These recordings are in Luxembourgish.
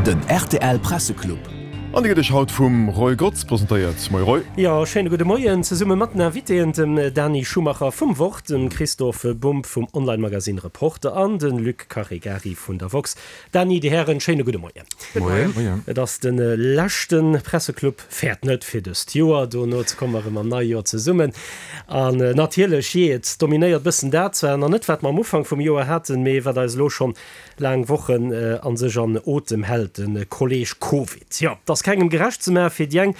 Den rtl Presseclub. An dee gëtt iech haut vum Roy Grotz presentéiert. Moie Roy. Jo, schéine gudde Moien zesumme mat den Invitéen, dem Dani Schumacher vum Wort, dem Christophe Bumb vum Online-Magazine Reporter an de Luc Caregari vun der woxx. Dani, Dir Hären, schéine gudde Moien. Moien. Et ass de leschte Presseclub, fäert net fir dëst Joer, dono komme mer erëm am neie Joer zesummen. An natierlech, jee, et dominéiert bëssen dat zwar nach net, wat mer am Ufank vum Joer haten, mee wat eis elo schonn laang Wochen a sech an Otem hält, de Kolleeg Covid. Jo, et ass kengem gerecht ze maachen, fir déi eng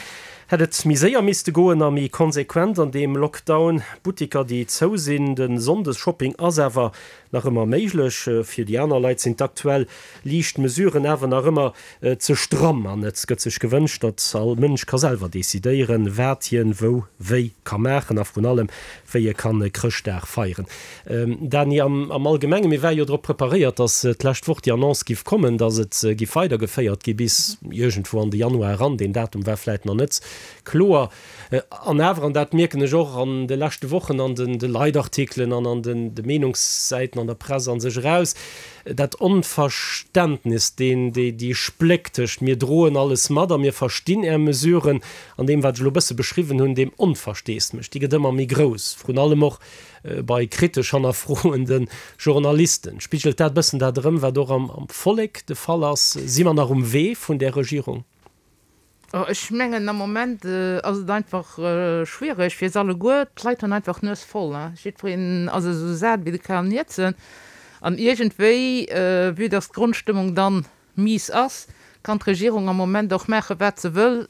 hätt et méi séier misste goen a méi konsequent an deem Lockdown. Buttiker, déi zou sinn, de Sonndesshopping ass awer nach ëmmer méiglech. Fir déi aner Leit sinn d'aktuell liicht Mesuren awer nach ëmmer ze stramm an et gëtt sech gewënscht, datt all Mënsch ka selwer decidéieren, wat hien wou wéi ka maachen a vrun allem wéi e kann Chrëschtdag feieren. Dany, am Allgemengen, mir ware jo drop preparéiert, datt d'lescht Woch déi Annonce giff kommen, datt et giff weidergeféiert gi bis iergendwou an de Januar eran. Deen Datum war vläit nach net kloer. An awer, an dat mierken ech och an de leschte Wochen an de Leitartikelen an an de Meenungssäiten an der Press a sech eraus, dat Onverständnis, deen, déi Spléck tëscht mir droen alles mat a mir verstinn Är Mesuren an deem, wat ech elo e bësse beschriwwen hunn, deem Onversteesdemech, déi gëtt ëmmer méi grouss, vrun allem och bei kritesch hannerfroende Journalisten. Spigelt dat e bëssen dat erëm, wat och am Vollek de Fall ass? Si mer nach um Wee vun där Regierung? Ech mengen am Moment ass et einfach schwiereg fir se alleguer. D'Leit hunn einfach d'Nues voll. Jiddwereen ass esou sat wéi de Karl Nierzen. An iergendwéi, vue dass d'Grondstëmmung dann mies ass, kann d'Regierung am Moment och maache wat se wëll,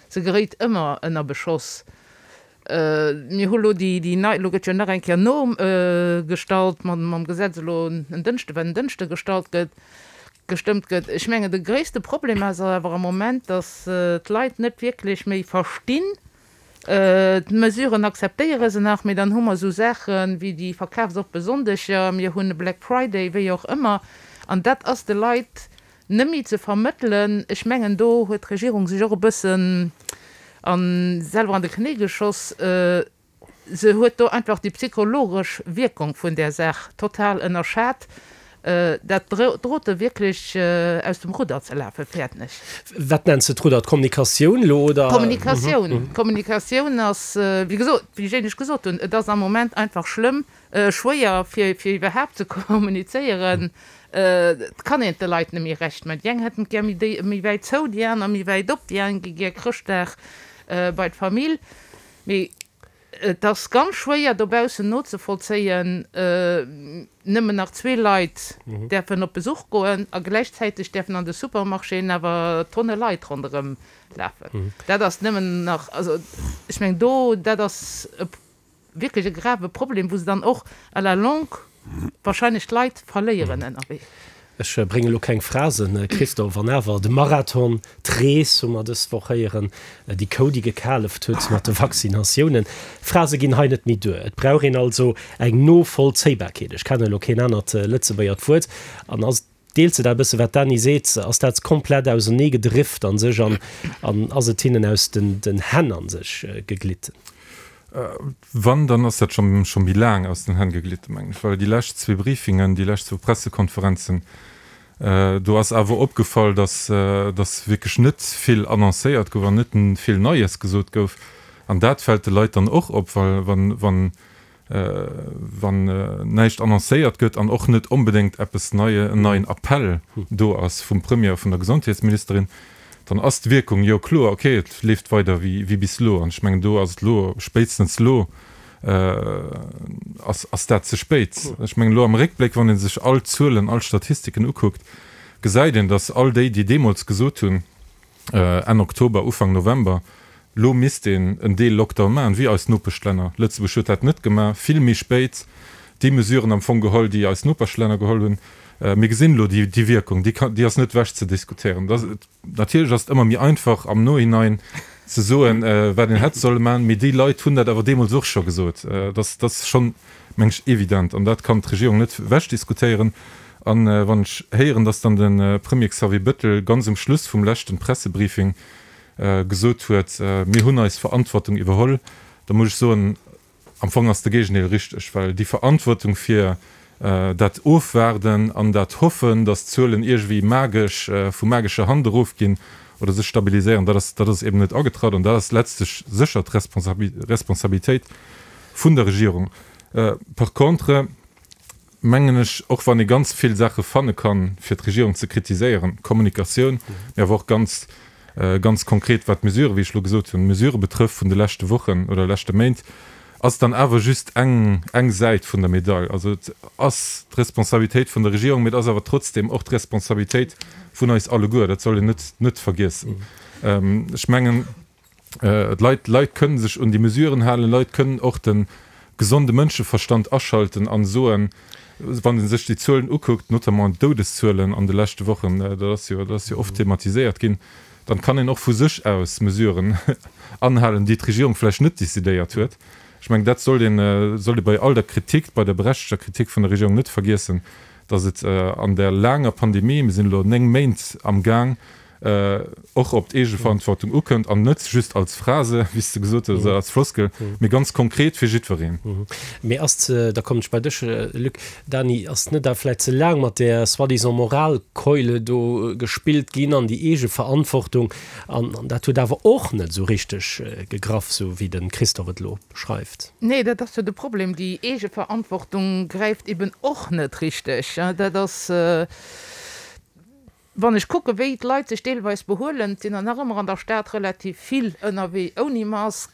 se geréit ëmmer ënner Beschoss. Mir hu lo déi nei, elo gëtt jo nach eng Kéier nogestallt mam Gesetz elo en Dënschde, wat en Dënschde gestallt gëtt, gestëmmt gëtt. Ech mengen, de gréisste Problem ass awer am Moment, datt d'Leit net wierklech méi verstinn, d'Mesuren akzeptéiere se nach, mee dann hu mer esou Saache wéi déi verkafsoppe Sonndeger, mir hunn e Black Friday, wéi och ëmmer, an dat ass de Leit net méi ze vermëttelen. Ech mengen, do huet d'Regierung sech och e bëssen selwer an de Knéi geschoss. Se huet do einfach déi psychologesch Wierkung vun där Saach total ënnerschat. Dat drote wierklech aus dem Rudder ze lafen, fäerten ech. Wat nenns de d'Rudder? D'Kommunikatioun elo, oder? D'Kommunikatioun. D'Kommunikatioun ass, wéi gesot, wéi ech éinescht gesot hunn, et ass am Moment einfach schlëmm, schwéier fir iwwerhaapt ze kommunizéieren. Et kann een et de Leit net méi recht maachen. Déi eng hätten et gär méi wäit zou, déi aner méi wäit op, déi eng gi gär Chrëschtdag bei d'Famill. Mee et ass ganz schwéier dobaussen nozevollzéien, nëmmen nach zwee Leit däerfen op Besuch goen a gläichzäiteg däerfen an de Supermarchéen awer Tonne Leit ronderëm lafen. Dat ass nëmmen nach, also ech mengen do, dat ass e wierklech e grave Problem, wou se dann och à la longue wahrscheinlech d'Leit verléieren ënnerwee. Ech bréngen elo keng Phrasen, Christophe, an awer, de Marathon, d'Rees hu mer dës Woch héieren, déi Kou, déi gekaleft huet mat de Vaccinatiounen. Phrase ginn hei net méi duer. Et brauch een also eng Novollzéibarkeet. Ech kennen elo keen anert Lëtzebuergert Wuert. An ass, deels de dat e bësse wat d'Dany seet, ass dat komplett auserneegedrift a sech an ass et hinnen aus den Hänn a sech geglitten? Wann, dann ass dat scho méi laang aus den Hänn geglitten, mengen ech, well déi lescht zwee Briefingen, déi lescht zwou Pressekonferenzen, do ass awer opgefall, datt datt wierklech net vill annoncéiert gouf an net vill Neies gesot gouf. An dat fält de Leit dann och op, well wann, wann, wann näischt annoncéiert gëtt an och net onbedéngt eppes Neie, en neien Appell do ass vum Premier a vun der Gesondheetsministerin, dann ass d'Wierkung jo kloer, ok, et leeft weider wéi bis elo. An ech mengen, do ass et elo, spéitstens elo ass, ass dat ze spéit. Ech mengen, elo am Réckbléck, wann ee sech all d'Zuelen, all d'Statistiken ukuckt, gesäit een, datt all déi, déi deemools gesot hunn, Enn Oktober, Ufank November, elo misst een en Deel Lockdown maachen, wéi eis Nopeschlänner. Lëtzebuerg huet dat net gemaach, vill méi spéit déi Mesuren am Fong geholl, déi eis Nopeschlänner geholl hunn. Mir gesinn elo déi Wierkung, déi kann, déi ass net ewech ze diskutéieren. Natierlech ass et ëmmer méi einfach am Nohinein ze soen, wat een hätt solle maachen, mee déi Leit hunn dat awer deemools och scho gesot. Dat ass schonn, meng ech, evident an dat kann d'Regierung net ewechdiskutéieren. A wann ech héieren, dass dann de Premier Xavier Bettel ganz um Schluss vum leschten Pressebriefing gesot huet, mir hunn eis Verantwortung iwwerholl, da muss ech soen, am Fong ass de Géigendeel richteg, well déi Verantwortung fir. Dat Ofwaarden an dat Hoffen, datt d'Zuelen iergendwéi magesch, vu magescher Hand erofginn oder sech stabiliséieren, dat ass, dat ass eben net agetratt. An dat ass letztlech sécher d'Responsabilitéit vun der Regierung. Par contre mengen ech, och wann ee ganz vill Saache fanne kann, fir d'Regierung ze kritiséieren, d'Kommunikatioun, mee awer och ganz, ganz konkret wat d'Mesuren, wéi ech elo gesot hunn, d'Mesurë betrëfft vun de leschte Wochen oder leschte Méint, ass dann awer just eng, eng Säit vun der Medail. Also et ass d'Responsabilitéit vun der Regierung, mee et ass awer trotzdem och d'Responsabilitéit vun eis alleguer. Dat soll een net, net vergiessen. Ech mengen, d'Leit, d'Leit kënnen sech un déi Mesuren halen, Leit kënnen och de gesonde Mënscheverstand aschalten an soen, wann ee sech déi Zuelen ukuckt, notamment d'Doudeszuelen an de leschte Wochen, dat ass jo, dat ass jo oft thematiséiert ginn, dann kann een och vu sech aus Mesuren anhalen, déi d'Regierung vläicht net décidéiert huet. Ech mengen, dat sollt een, sollt ee bei all der Kritik, bei der berechtegter Kritik vun der Regierung net vergiessen, datt et an där laanger Pandemie, mir sinn elo 9 Méint am Gaang, och op d'Eegeverantwortung ukënnt an net just als Phrase, wéi s de gesot hues, oder als Floskel, mee ganz konkret fir jiddwereen. Mee ass, da kommen ech bei dech, Luc, Dany, ass net da vläicht ze laang mat där soi-disant Moralkeule do gespillt ginn an déi Eegeverantwortung, an dat huet awer och net esou richteg gegraff, esou wéi de Christophe et elo beschreift? Nee, dat ass jo de Problem, déi Eegeverantwortung gräift eben och net richteg. Dat ass. Wann ech kucken, wéi d'Leit sech deelweis behuelen, et sinn der nach ëmmer an der Stad relativ vill ënnerwee ouni Mask,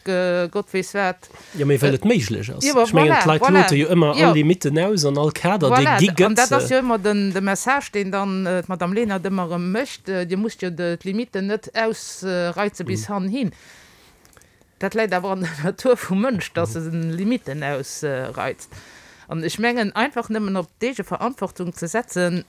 Gott weess wat. Jo, mee well et méiglech ass. Ech mengen, d'Leit lote jo ëmmer all Limitten aus an all Kader, dee gi gëtt. An dat ass jo ëmmer de Message, deen dann d'Madame Lenert ëmmer erëm mécht, Dir musst jo d'Limitten net ausreize bis hannhin. Dat läit awer an der Natur vum Mënsch, dass e Limitten ausreizt. An ech mengen, einfach nëmmen op d'Eegeverantwortung ze setzen,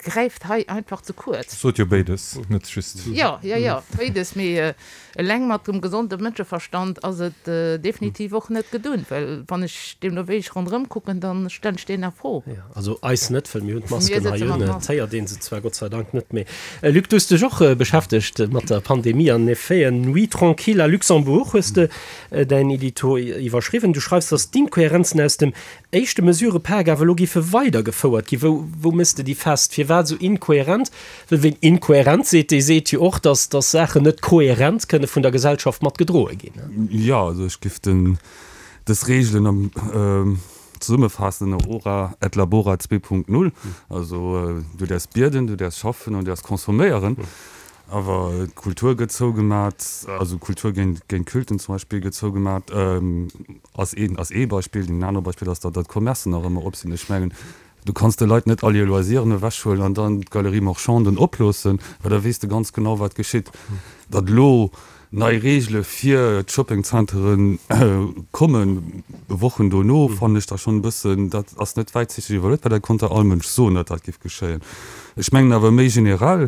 gräift hei einfach ze kuerz. Ech sot jo béides, net just. Jo, jo, jo, béides, mee eleng mat dem gesonde Mënscheverstand ass et definitiv och net gedun, well wann ech deemno wéi ech ronderëm kucken, da stellen ech deen a Fro. Jo, also eis net, well mir hunn d'Masken hei un, et héiert ee se zwar Gott sei Dank net méi. Luc, du hues dech och beschäftegt mat der Pandemie an effet, Nuit tranquille à Luxembourg hues de däin Edito iwwerschriwwen. Du schreifs, datt d'Inkohärenzen aus dem éischte Mesurëpak awer elo géife weidergefouert ginn. Wou, wou méchs de déi fest? Firwat esou inkohärent? Well ween inkohärent seet, dee seet jo och, datt, datt Saachen net kohärent kënne vun der Gesellschaft mat gedroe ginn. Jo, also ech giff den, dës Reegelen am zesummefaassen ënner Ora et labora 2.0. Also du däerfs bieden, du däerfs schaffen an du däerfs consomméieren. Awer d'Kultur gëtt zougemat, also Kultur géint, géint Culten zum Beispill gëtt zougemat. Ass een, ass ee Beispill. Deen anere Beispill ass, datt d'Commercen nach ëmmer op sinn. Ech mengen, du kanns de Leit net all hir Loisiren ewechhuelen an dann d'Galerie marchanden oploossen, well da weess de ganz genau, wat geschitt. Datt elo nei Reegele fir d'Shoppingzenteren kommen, Wochen dono, fannen ech da schonn e bëssen, dat ass net wäitsichteg iwwerluet, well dat konnt der all Mënsch soen, datt dat géif geschéien. Ech mengen awer méi generell,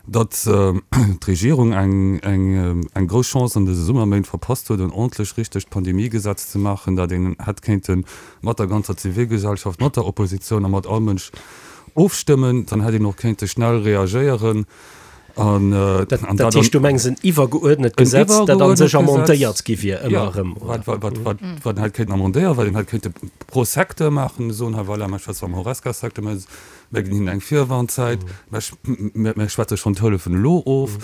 datt d'Regierung eng grouss Chance an dëse Summerméint verpasst huet, en ordentlech richtegt Pandemiegesetz ze maachen, dat een hätt kéinte mat der ganzer Zivilgesellschaft, mat der Oppositioun a mat all Mënsch ofstëmmen. Dann hätt een och kéinte schnell reagéieren an dat. Dat heescht, du mengs en iwwergeuerdnet Gesetz, dat a sech amendéiert gi wier ëmmer erëm, oder? Jo, wat een hätt kéinten amendéieren, wat een hätt kéinte pro Secteur maachen, soen, hei voilà, mir schwätzen am Horesca-Secteur, mä Mir ginn hinnen eng Virwarnzäit, mir schwätze schonn d'Hëllefen elo of,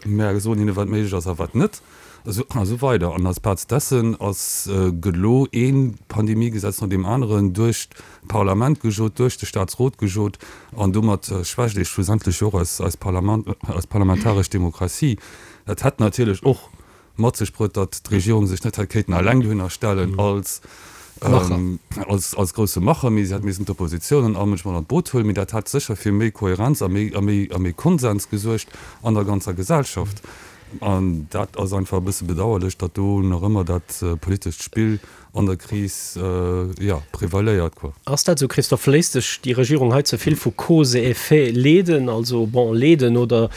mir soen hinne wat méiglech ass a wat net, a sou weider. An als Plaz dessen ass, gëtt elo ee Pandemiegesetz no deem aneren duerch d'Parlament gejot, duerch de Staatsrot gejot, an domat schwächt ee schlussendlech jo och eis Parlament, eis parlamentaresch Demokratie. Dat hätt natierlech och mat sech bruet, datt d'Regierung sech net hätt kéinten eleng dohinner stellen als als grousse Macher, mee si hätt missen d'Oppositioun an all Mënsch mat an d'Boot huelen. Mee dat hätt sécher fir méi Kohärenz a méi a méi a méi Konsens gesuergt an der ganzer Gesellschaft. An dat ass einfach e bësse bedauerlech, datt do nach ëmmer dat politescht Spill an der Kris, jo, prevaléiert, quoi. Ass dat esou, Christophe? Léisst sech déi Regierung hei ze vill vu Cause et effet leeden, also, bon, leeden oder?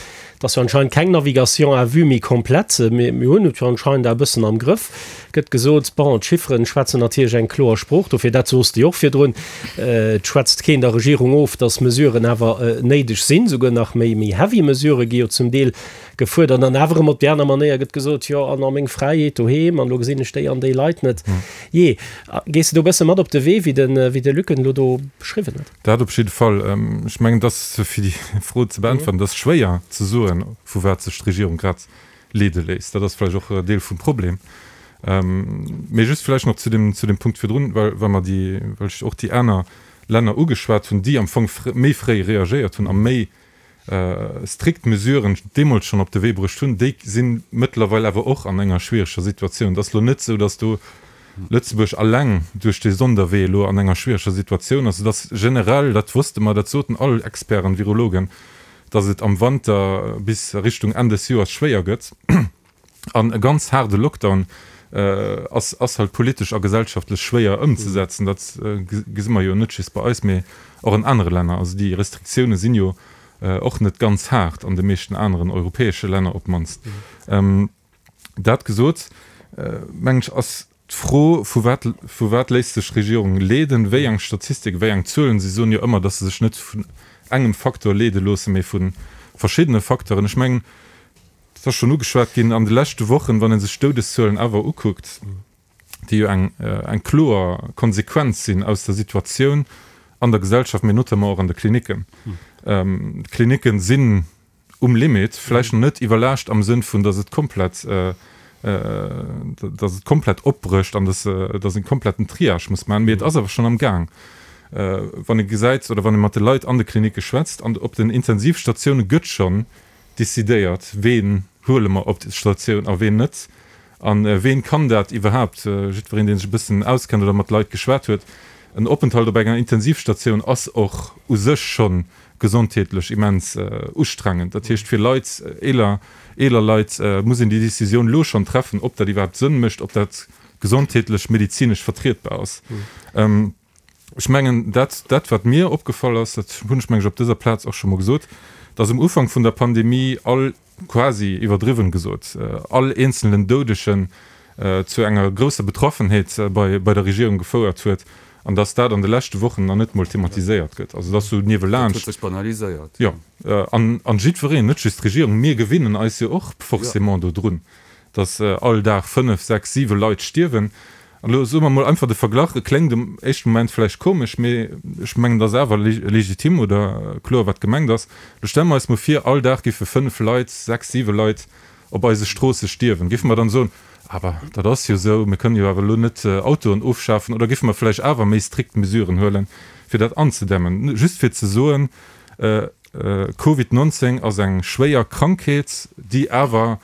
Et ass jo anscheinend keng Navigation à vue méi komplett. Mir hunn et jo anscheinend e bëssen am Grëff, gëtt gesot. Bon, d'Chifferen schwätzen natierlech eng kloer Sprooch. Dofir, dat sos de jo och virdrun, et schwätzt keen der Regierung of, datt Mesuren awer néideg sinn. Souguer nach méi, méi heavy Mesurë gi jo zum Deel gefuerdert. An awer erëm op déi aner Manéier gëtt gesot, jo, an a meng Fräiheet doheem, an elo gesinn ech déi an déi Leit net. Jee, gees de do e bësse mat op de Wee, wéi de, wéi de Luc en elo do beschriwwen huet? Dat op jidde Fall. Ech mengen, et ass, fir déi Fro ze beäntweren, et ass schwéier ze soen, vu wat sech d'Regierung grad leede léisst. Dat ass vläicht och Deel vum Problem. Mee just vläicht nach zu deem, zu deem Punkt virdrun, well, well mer déi, well ech och déi aner Länner ugeschwat hunn, déi am Fong méi fréi reagéiert hunn a méi strikt Mesuren deemools schonn op de Wee bruecht hunn, déi si mëttlerweil awer och an enger schwiereger Situatioun. Et ass elo net esou, datt do Lëtzebuerg alleng duerch dee Sonderwee elo an enger schwiereger Situatioun ass. Et ass generell, dat wosste mer, dat soten all Experten, Virologen, datt et am Wanter bis Richtung Enn des Joers schwéier gëtt. An e ganz haarde Lockdown ass ass halt politesch a gesellschaftlech schwéier ëmzesetzen. Dat gesi mer jo net just bei eis, mee och an anere Länner. Also déi Restriktioune sinn jo och net ganz haart an de meeschten aneren europäesche Länner op d'mannst. Dat gesot, mengen ech, ass D'Fro, vu wat, vu wat léisst sech d'Regierung leeden, wéi eng Statistik, wéi eng Zuelen, si soen jo ëmmer, datt se sech net vun engem Faktor leede loossen, mee vu verschiddene Facteuren. Ech mengen, et ass schonn ugeschwat ginn, an de leschte Wochen, wann ee sech d'Doudeszuelen awer ukuckt, déi jo eng, eng kloer Konsequenz sinn aus der Situatioun an der Gesellschaft, mee notamment och an de Klinicken. D'Klinicken sinn um Limit, vläicht nach net iwwerlaascht am Sënn vun, datt et komplett, datt et komplett opbrécht an datt, datt een kompletten Triage muss maachen, mee et ass awer schonn am Gaang. Wann ee gesäit oder wann ee mat de Leit an de Klinicke schwätzt, an op den Intensivstatioune gëtt schonn decidéiert, ween huele mer op d'Statioun a ween net a ween kann dat iwwerhaapt. Jiddwereen, dee sech e bëssen auskennt oder mat Leit geschwat huet, en Openthalt op enger Intensivstatioun ass och u sech schonn gesondheetlech immens ustrengend. Dat heescht, fir Leit, eeler, eeler Leit, muss een déi Décisioun elo schonn treffen, ob dat iwwerhaapt Sënn mécht, ob dat gesondheetlech, medezinesch vertrietbar ass. Ech mengen, dat, dat wat mir opgefall ass, dat hunn ech, meng ech, op dëser Plaz och scho mol gesot, dass um Ufank vun der Pandemie all, quasi iwwerdriwwen gesot, all eenzelnen Doudegen zu enger grousser Betroffenheet bei der Regierung gefouert huet an dass dat an de leschte Wochen nach net mol thematiséiert gëtt. Also dass sou niewelaanscht. Dat huet sech banaliséiert. Jo, an jiddwereen, net just d'Regierung, mir gewinnen eis jo och forcément dodrun, dass all Dag fënnef, sechs, siwe Leit stierwen. An elo soe mer mol einfach de Verglach, e kléngt am éischte Moment vläicht komesch, mee ech mengen, et ass awer legitim oder kloer, wat gemengt ass. Elo stelle mer eis mol vir, all Dag géife fënnf Leit, sechs, siwe Leit op eise Stroosse stierwen. Géife mer dann soen, Awer dat ass jo esou, mir kënnen jo awer elo net Autoen ofschafen? Oder géife mer vläicht awer méi strikt Mesuren huelen, fir dat anzedämmen? Just fir ze soen, Covid 19 ass eng schwéier Krankheet, déi awer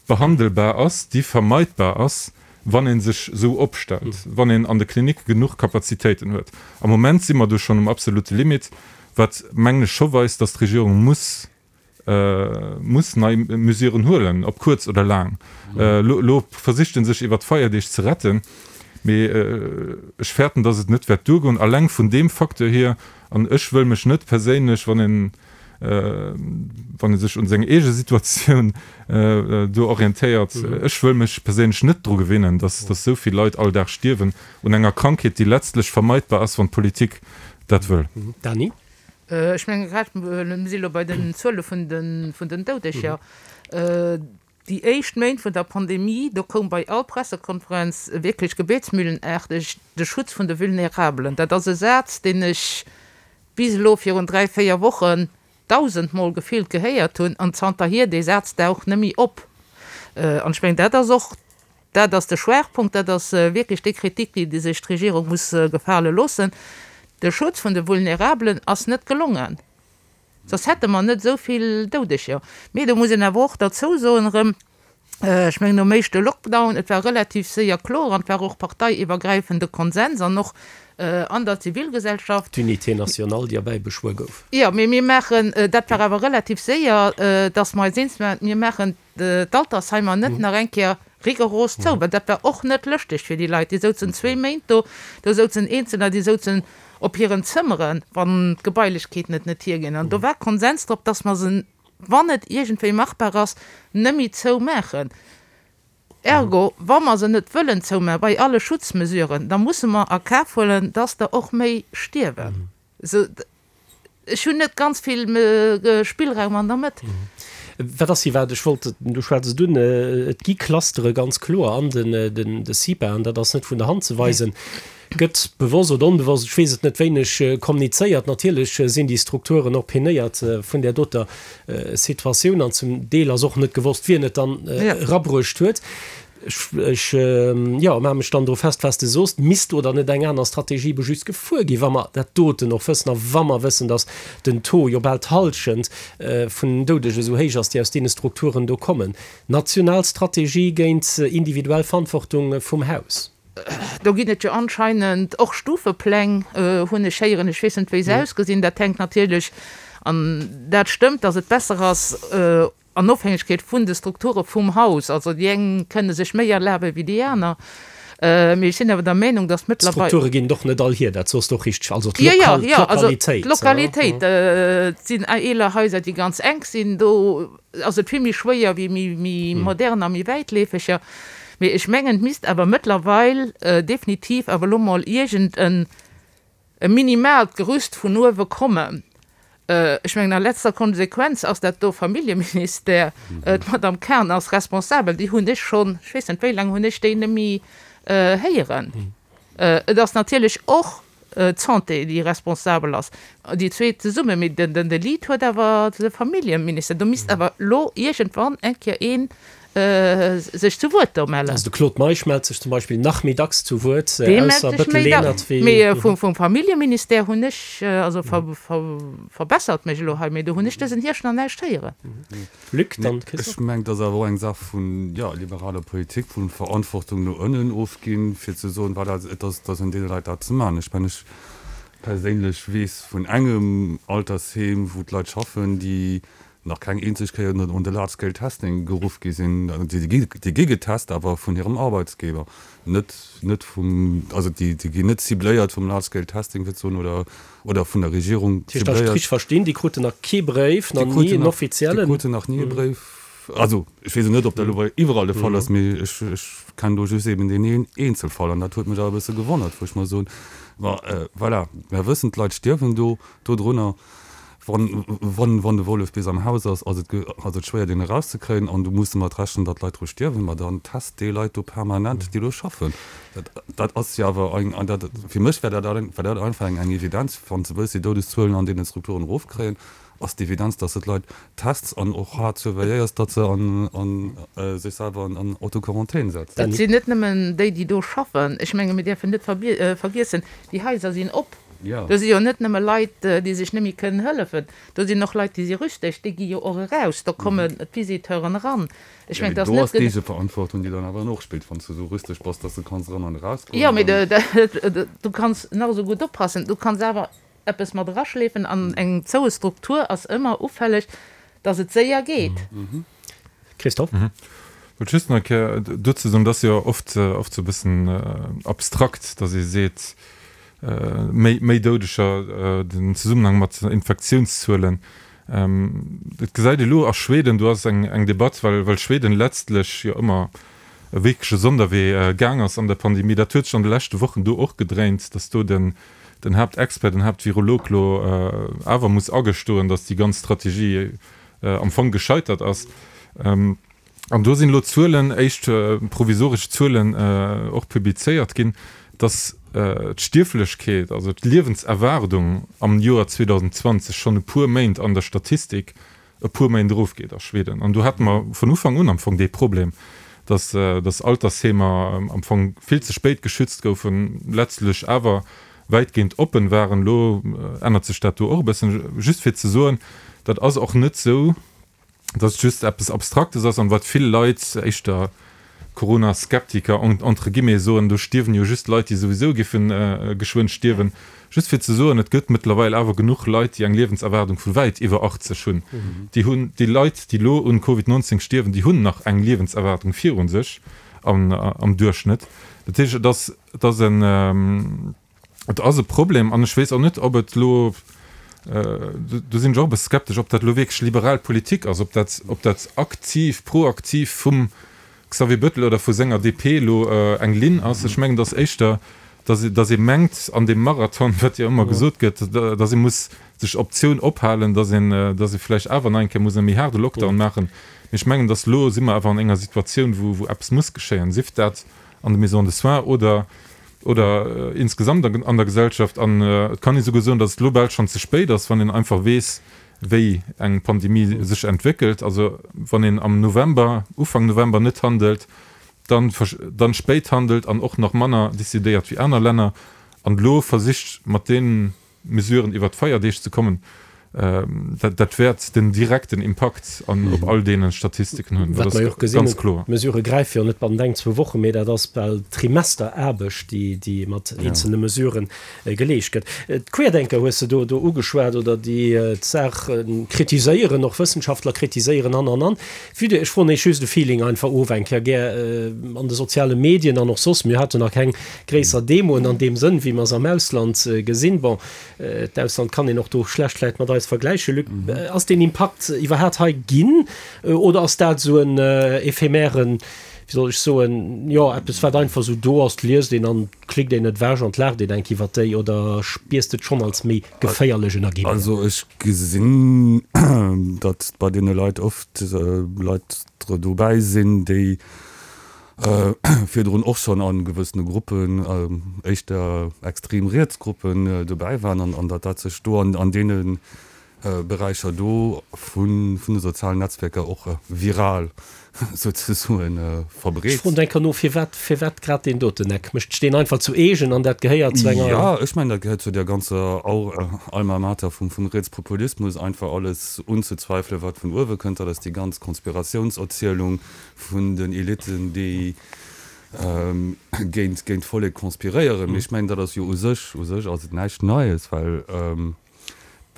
behandelbar ass, déi vermeidbar ass, wann ee sech esou opstellt, wann een an de Klinicke genuch Kapazitéiten huet. Am Moment si mer do schonn um absolute Limit, wat, mengen ech, scho weist, dass d'Regierung muss, muss nei Mesuren huelen, ob kuerz oder laang. Elo versicht e sech iwwert d'Feierdeeg ze retten, mee ech fäerten, dass et net wäert duergoen, alleng vun deem Facteur hier. An ech wëll mech net perséinlech, wann een, wann ee sech un seng eege Situatioun do orientéiert, ech wëll mech perséinlech net dru gewinnen, dass esou vill Leit all Dag stierwen un enger Krankheet, déi letztlech vermeidbar ass, wann d'Politik dat wëll. Dany? Ech menge grad, mir si lo bei den Zuele vun den Doudeger. Déi éischt Méint vun der Pandemie, do koum bei all Pressekonferenz wierklech gebetsmühlenaarteg de Schutz vun de Vulnerabelen. Dat ass e Saz, deen ech bis elo virun 3, 4 Wochen dausendmol gefillt gehéiert hunn an zanterhier, dee Saz daucht net méi op. An ech mengen, dat ass och, dat ass de Schwaachpunkt, dat ass wierklech déi Kritik, déi sech d'Regierung muss gefale loossen, De Schutz vun de Vulnerabelen ass net gelongen, soss hätte mer net esou vill Doudeger. Mee do muss een awer och derzou soen erëm, Ech mengen, nom éischte Lockdown, et war relativ séier kloer an et war och parteiiwwergräifende Konsens an och an der Zivilgesellschaft. D'Unité nationale, déi erbäibeschwuer gouf. Jo, mee mir maachen, dat war awer relativ séier, dass mer eis eens waren, mir maachen d'Altersheimer net nach eng Kéier rigoros zou, well dat war och net lëschteg fir déi Leit. Déi souzen zwee Méint do, do souzen Eenzeler, déi souzen op hiren Zëmmeren, wann d'Gebailechkeeten et net hierginn. An do war Konsens drop, dass mer se. wann et iergendwéi machbar ass, net méi zou maachen. Ergo, wa mer se net wëllen zoumaachen, bei alle Schutzmesuren, da musse mer a Kaf huelen, dass der och méi stierwen. Esou, ech hunn net ganz vill Spillraum an der Mëtt. Wat ass iwwer, ech wollt, du schwätz et un, et gi Clustere ganz kloer an den de CIPAen, dat ass net vun der Hand ze weisen. Gëtt bewosst oder onbewosst, ech weess et net, wéineg komnizéiert. Natierlech sinn déi Strukturen och penéiert vun där doter Situatioun an zum Deel ass och net gewosst, wien et dann erabruecht huet. Ech, jo, maache mech dann dru fest, wat s de soos. Misst oder net eng aner Strategie ebe just gefuer ginn, wa mer dat doten och wëssen a wa mer wëssen, datt den Taux jo bal d'Hallschent vun den Doudege esou héich ass, déi aus deene Strukturen do kommen? National Strategie géint individuell Verantwortung vum Haus. Do ginn et jo anscheinend och Stufepläng, hunn ech héieren. Ech weess net, wéi se ausgesinn. Dat hänkt natierlech, an dat stëmmt, datt et besser ass an Ofhängegkeet vun de Strukture vum Haus. Also déi eng kënne sech méi erlabe wéi déi aner. Mee ech sinn awer der Meenung, datt mëttlerweil. D'Strukture ginn et och net all hier, dat soss de och richteg. Also d'Lokal, d'Lokalitéit. D'Lokalitéit. Et sinn eeler Haiser, déi ganz enk sinn. Do ass et vill méi schwéier wéi méi modern a méi wäitleefeger. Mee ech mengen, et misst awer mëttlerweil definitiv awer elo mol iergend en minimaalt Gerüst vun uewe kommen. Ech mengen, a letzter Konsequenz ass dat do Familljeministère, d'Madame Cahen ass responsabel, déi hunn ech schonn, ech weess net wéi laang hunn ech déi net méi héieren. Et ass natierlech och d'Santé, déi responsabel ass, déi zweet zesummen, mee den de Lead huet awer de Familljeministère. Do misst awer elo iergendwann eng Kéier ee sech zu Wuert do mellen. Also de Claude Meisch mellt sech zum Beispill nach méi dacks zu Wuert, Dee mellt ausser sech méi dacks, mee vum Familljeministère hunn ech, also verbessert mech elo hei, mee do hunn ech dësen Hierscht nach näischt héieren. Luc, dann Christophe. Ech mengen, et ass awer och eng Saach vun, jo, liberaler Politik, vu Verantwortung no ënnen ofginn, fir ze soen, voilà, et ass, et ass un deene Leit dat ze maachen. Ech mengen, ech perséinlech weess vun engem Altersheem, wou d'Leit schaffen, déi nach keng eenzeg Kéier un de Large Scale Testing geruff gi sinn. Déi gi getest, awer vun hirem Arbeitsgeber, net, net vum, also déi ginn net cibléiert vum Large Scale Testing, fir ze soen, oder oder vun der Regierung zibléiert. Dat heescht, datt ech verstinn, déi kruten nach kee Bréif, nach ni en offiziellen? Déi kruten nach ni e Bréif. Also, ech weess elo net, ob dat elo iwwerall de Fall ass, mee ech kennen do just eben deen een Eenzelfall an dat huet mech awer e bësse gewonnert, wou ech mer soen, ma voilà, mer wëssen, d'Leit stierwen do dodrunner. Wann, wann, wann de Wollef bis am Haus ass, ass et, ass et schwéier, deen erauszekréien an du muss domat rechnen, datt Leit dru stierwen. Ma dann test déi Leit do permanent, déi do schaffen. Dat, dat ass jo awer eng, an dat, fir mech wär dat, wär dat einfach eng, eng Evidenz, wann s de wëlls déi Doudeszuelen an deene Strukturen erofkréien, ass d'Evidenz, datt s de d'Leit tests an och haart surveilléiers, datt se an, an, sech selwer an, an Autoquarantän setzen. Et sinn net nëmmen déi, déi do schaffen. Ech menge mir däerfen net vergiessen, déi Haiser sinn op. Do si jo net nëmme Leit, déi sech net méi kënnen hëllefen, do sinn och Leit, déi si rüsteg, déi gi jo och eraus, do kommen d'Visiteuren eran. Ech mengen, et ass net. Do ass d'Eegeverantwortung, déi dann awer och spillt, wann s de esou rüsteg bass, dass de kanns eran an erausgoen. Jo, mee du kanns nach esou gutt oppassen, du kanns awer eppes mat eraschleefen an eng zoue Struktur ass ëmmer ufälleg, dass et séier geet. Christophe? Wollt just nach eng Kéier dozou soen, et ass jo oft, oft esou e bëssen abstrakt, dass ee seet, méi, méi Doudeger, den Zesummenhang mat Infektiounszuelen. Et gesäit ee lo a Schweden, do ass eng, eng Debatt, well, well Schweden letztlech jo ëmmer e wierkleche Sonderwee gaang ass an der Pandemie. Dat huet sech an de leschte Wochen do och gedréint, dass do den, den Haaptexpert, den Haaptvirolog lo awer muss agestoen, dass déi ganz Strategie am Fong gescheitert ass. An do sinn elo Zuelen, éischt provisoresch Zuelen och publizéiert ginn, dass d'Stierflechkeet, also d'Liewenserwaardung am Joer 2020 schonn e puer Méint an der Statistik e puer Méint erofgeet a Schweden. An do hate mer vun Ufank un am Fong dee Problem, dass dass Altersheemer am Fong vill ze spéit geschützt goufen, letztlech awer wäitgehend oppen waren. Elo ännert sech dat do och e bëssen. Just fir ze soen, dat ass och net esou, dass et just eppes Abstraktes ass an wat vill Leit, éischter Corona-Skeptiker entre guillemets, soen, do stierwen jo just Leit, déi souwisou géife geschwënn stierwen. Just fir ze soen, et gëtt mëttlerweil awer genuch Leit, déi eng Liewenserwaardung vu wäit iwwer 80 hunn. Déi hunn, déi Leit, déi elo un Covid 19 stierwen, déi hunn nach eng Liewenserwaardung viru sech am Duerchschnëtt. Dat heescht, et ass, et ass en, Et ass e Problem an ech weess och net, ob et elo. Do sinn ech och e bësse skeptesch, ob dat elo wierklech liberal Politik ass, ob dat, ob dat aktiv, proaktiv vum Xavier Bettel oder vu senger DP elo eng Linn ass. Ech mengen, et ass éischter, datt, datt ee mengt an deem Marathon, wat jo ëmmer gesot gëtt, datt ee muss sech Optioun ophalen, datt een, datt ee vläicht awer nach eng Kéier muss e méi haarde Lockdown maachen. Mee ech mengen, datt elo si mer awer an enger Situatioun, wou, wou eppes muss geschéien, sief dat an de Maisons de soins oder, oder insgesamt an der Gesellschaft. An et kann ee souguer soen, datt et elo bal schonn ze spéit ass, wann een einfach weess, wéi eng Pandemie sech entwéckelt. Also wann een am November, Ufank November net handelt, dann dann spéit handelt an och nach manner decidéiert wéi aner Länner an elo versicht mat deenen Mesuren iwwert d'Feierdeeg ze kommen, dat dat wäert den direkten Impakt an op all deene Statistiken hunn. Dat ass ganz kloer. D'Mesurë gräife jo net bannent eng, zwou Wochen, mee dat ass bal Trimesteraarbecht, déi déi mat eenzelne Mesurë geleescht gëtt. D'Querdenker hues de do do ugeschwat oder déi d'Saach kritiséieren, och Wëssenschaftler kritiséieren an an an. Vue de, ech froen Iech just e Feeling einfach of eng Kéier gär an de soziale Medien an och soss, mir haten nach keng gréisser Demoen an deem Sënn, wéi mer se am Ausland gesinn. Bon, d'Ausland kann een och do schlecht vläicht mat eis vergläichen. Luc, ass deen Impakt iwwerhaat hei ginn oder ass dat esou en éphémèren, wéi soll ech soen, jo, eppes wat einfach esou do ass, liest een an klickt een et ewech an laacht een enk iwwert déi oder spiers de et schonn als méi geféierlech Energie? Also ech gesinn, datt bei deene Leit oft Leit dobäi sinn, déi virdrun och schonn a gewëssene Gruppen, éischter extrem riets Gruppen, dobäi waren an datt dat sech do an deene Beräicher do vun de sozialen Netzwerker och viral souzesoen verbreet. Ech froen enker no, firwat, firwat grad deen doten Eck? Mécht sech deen einfach zu eegen an dat gehéiert zu enger. Jo, ech mengen, dat gehéiert zu där ganzer Alma Mater vum Rietspopulismus, einfach alles unzezweifelen, wat vun uewe kënnt. Dat ass déi ganz Konspiratiounserzielung vun den Elitten, déi géint d'Vollek konspiréieren. Mee ech mengen, dat ass jo u sech, u sech ass et näischt Neies, well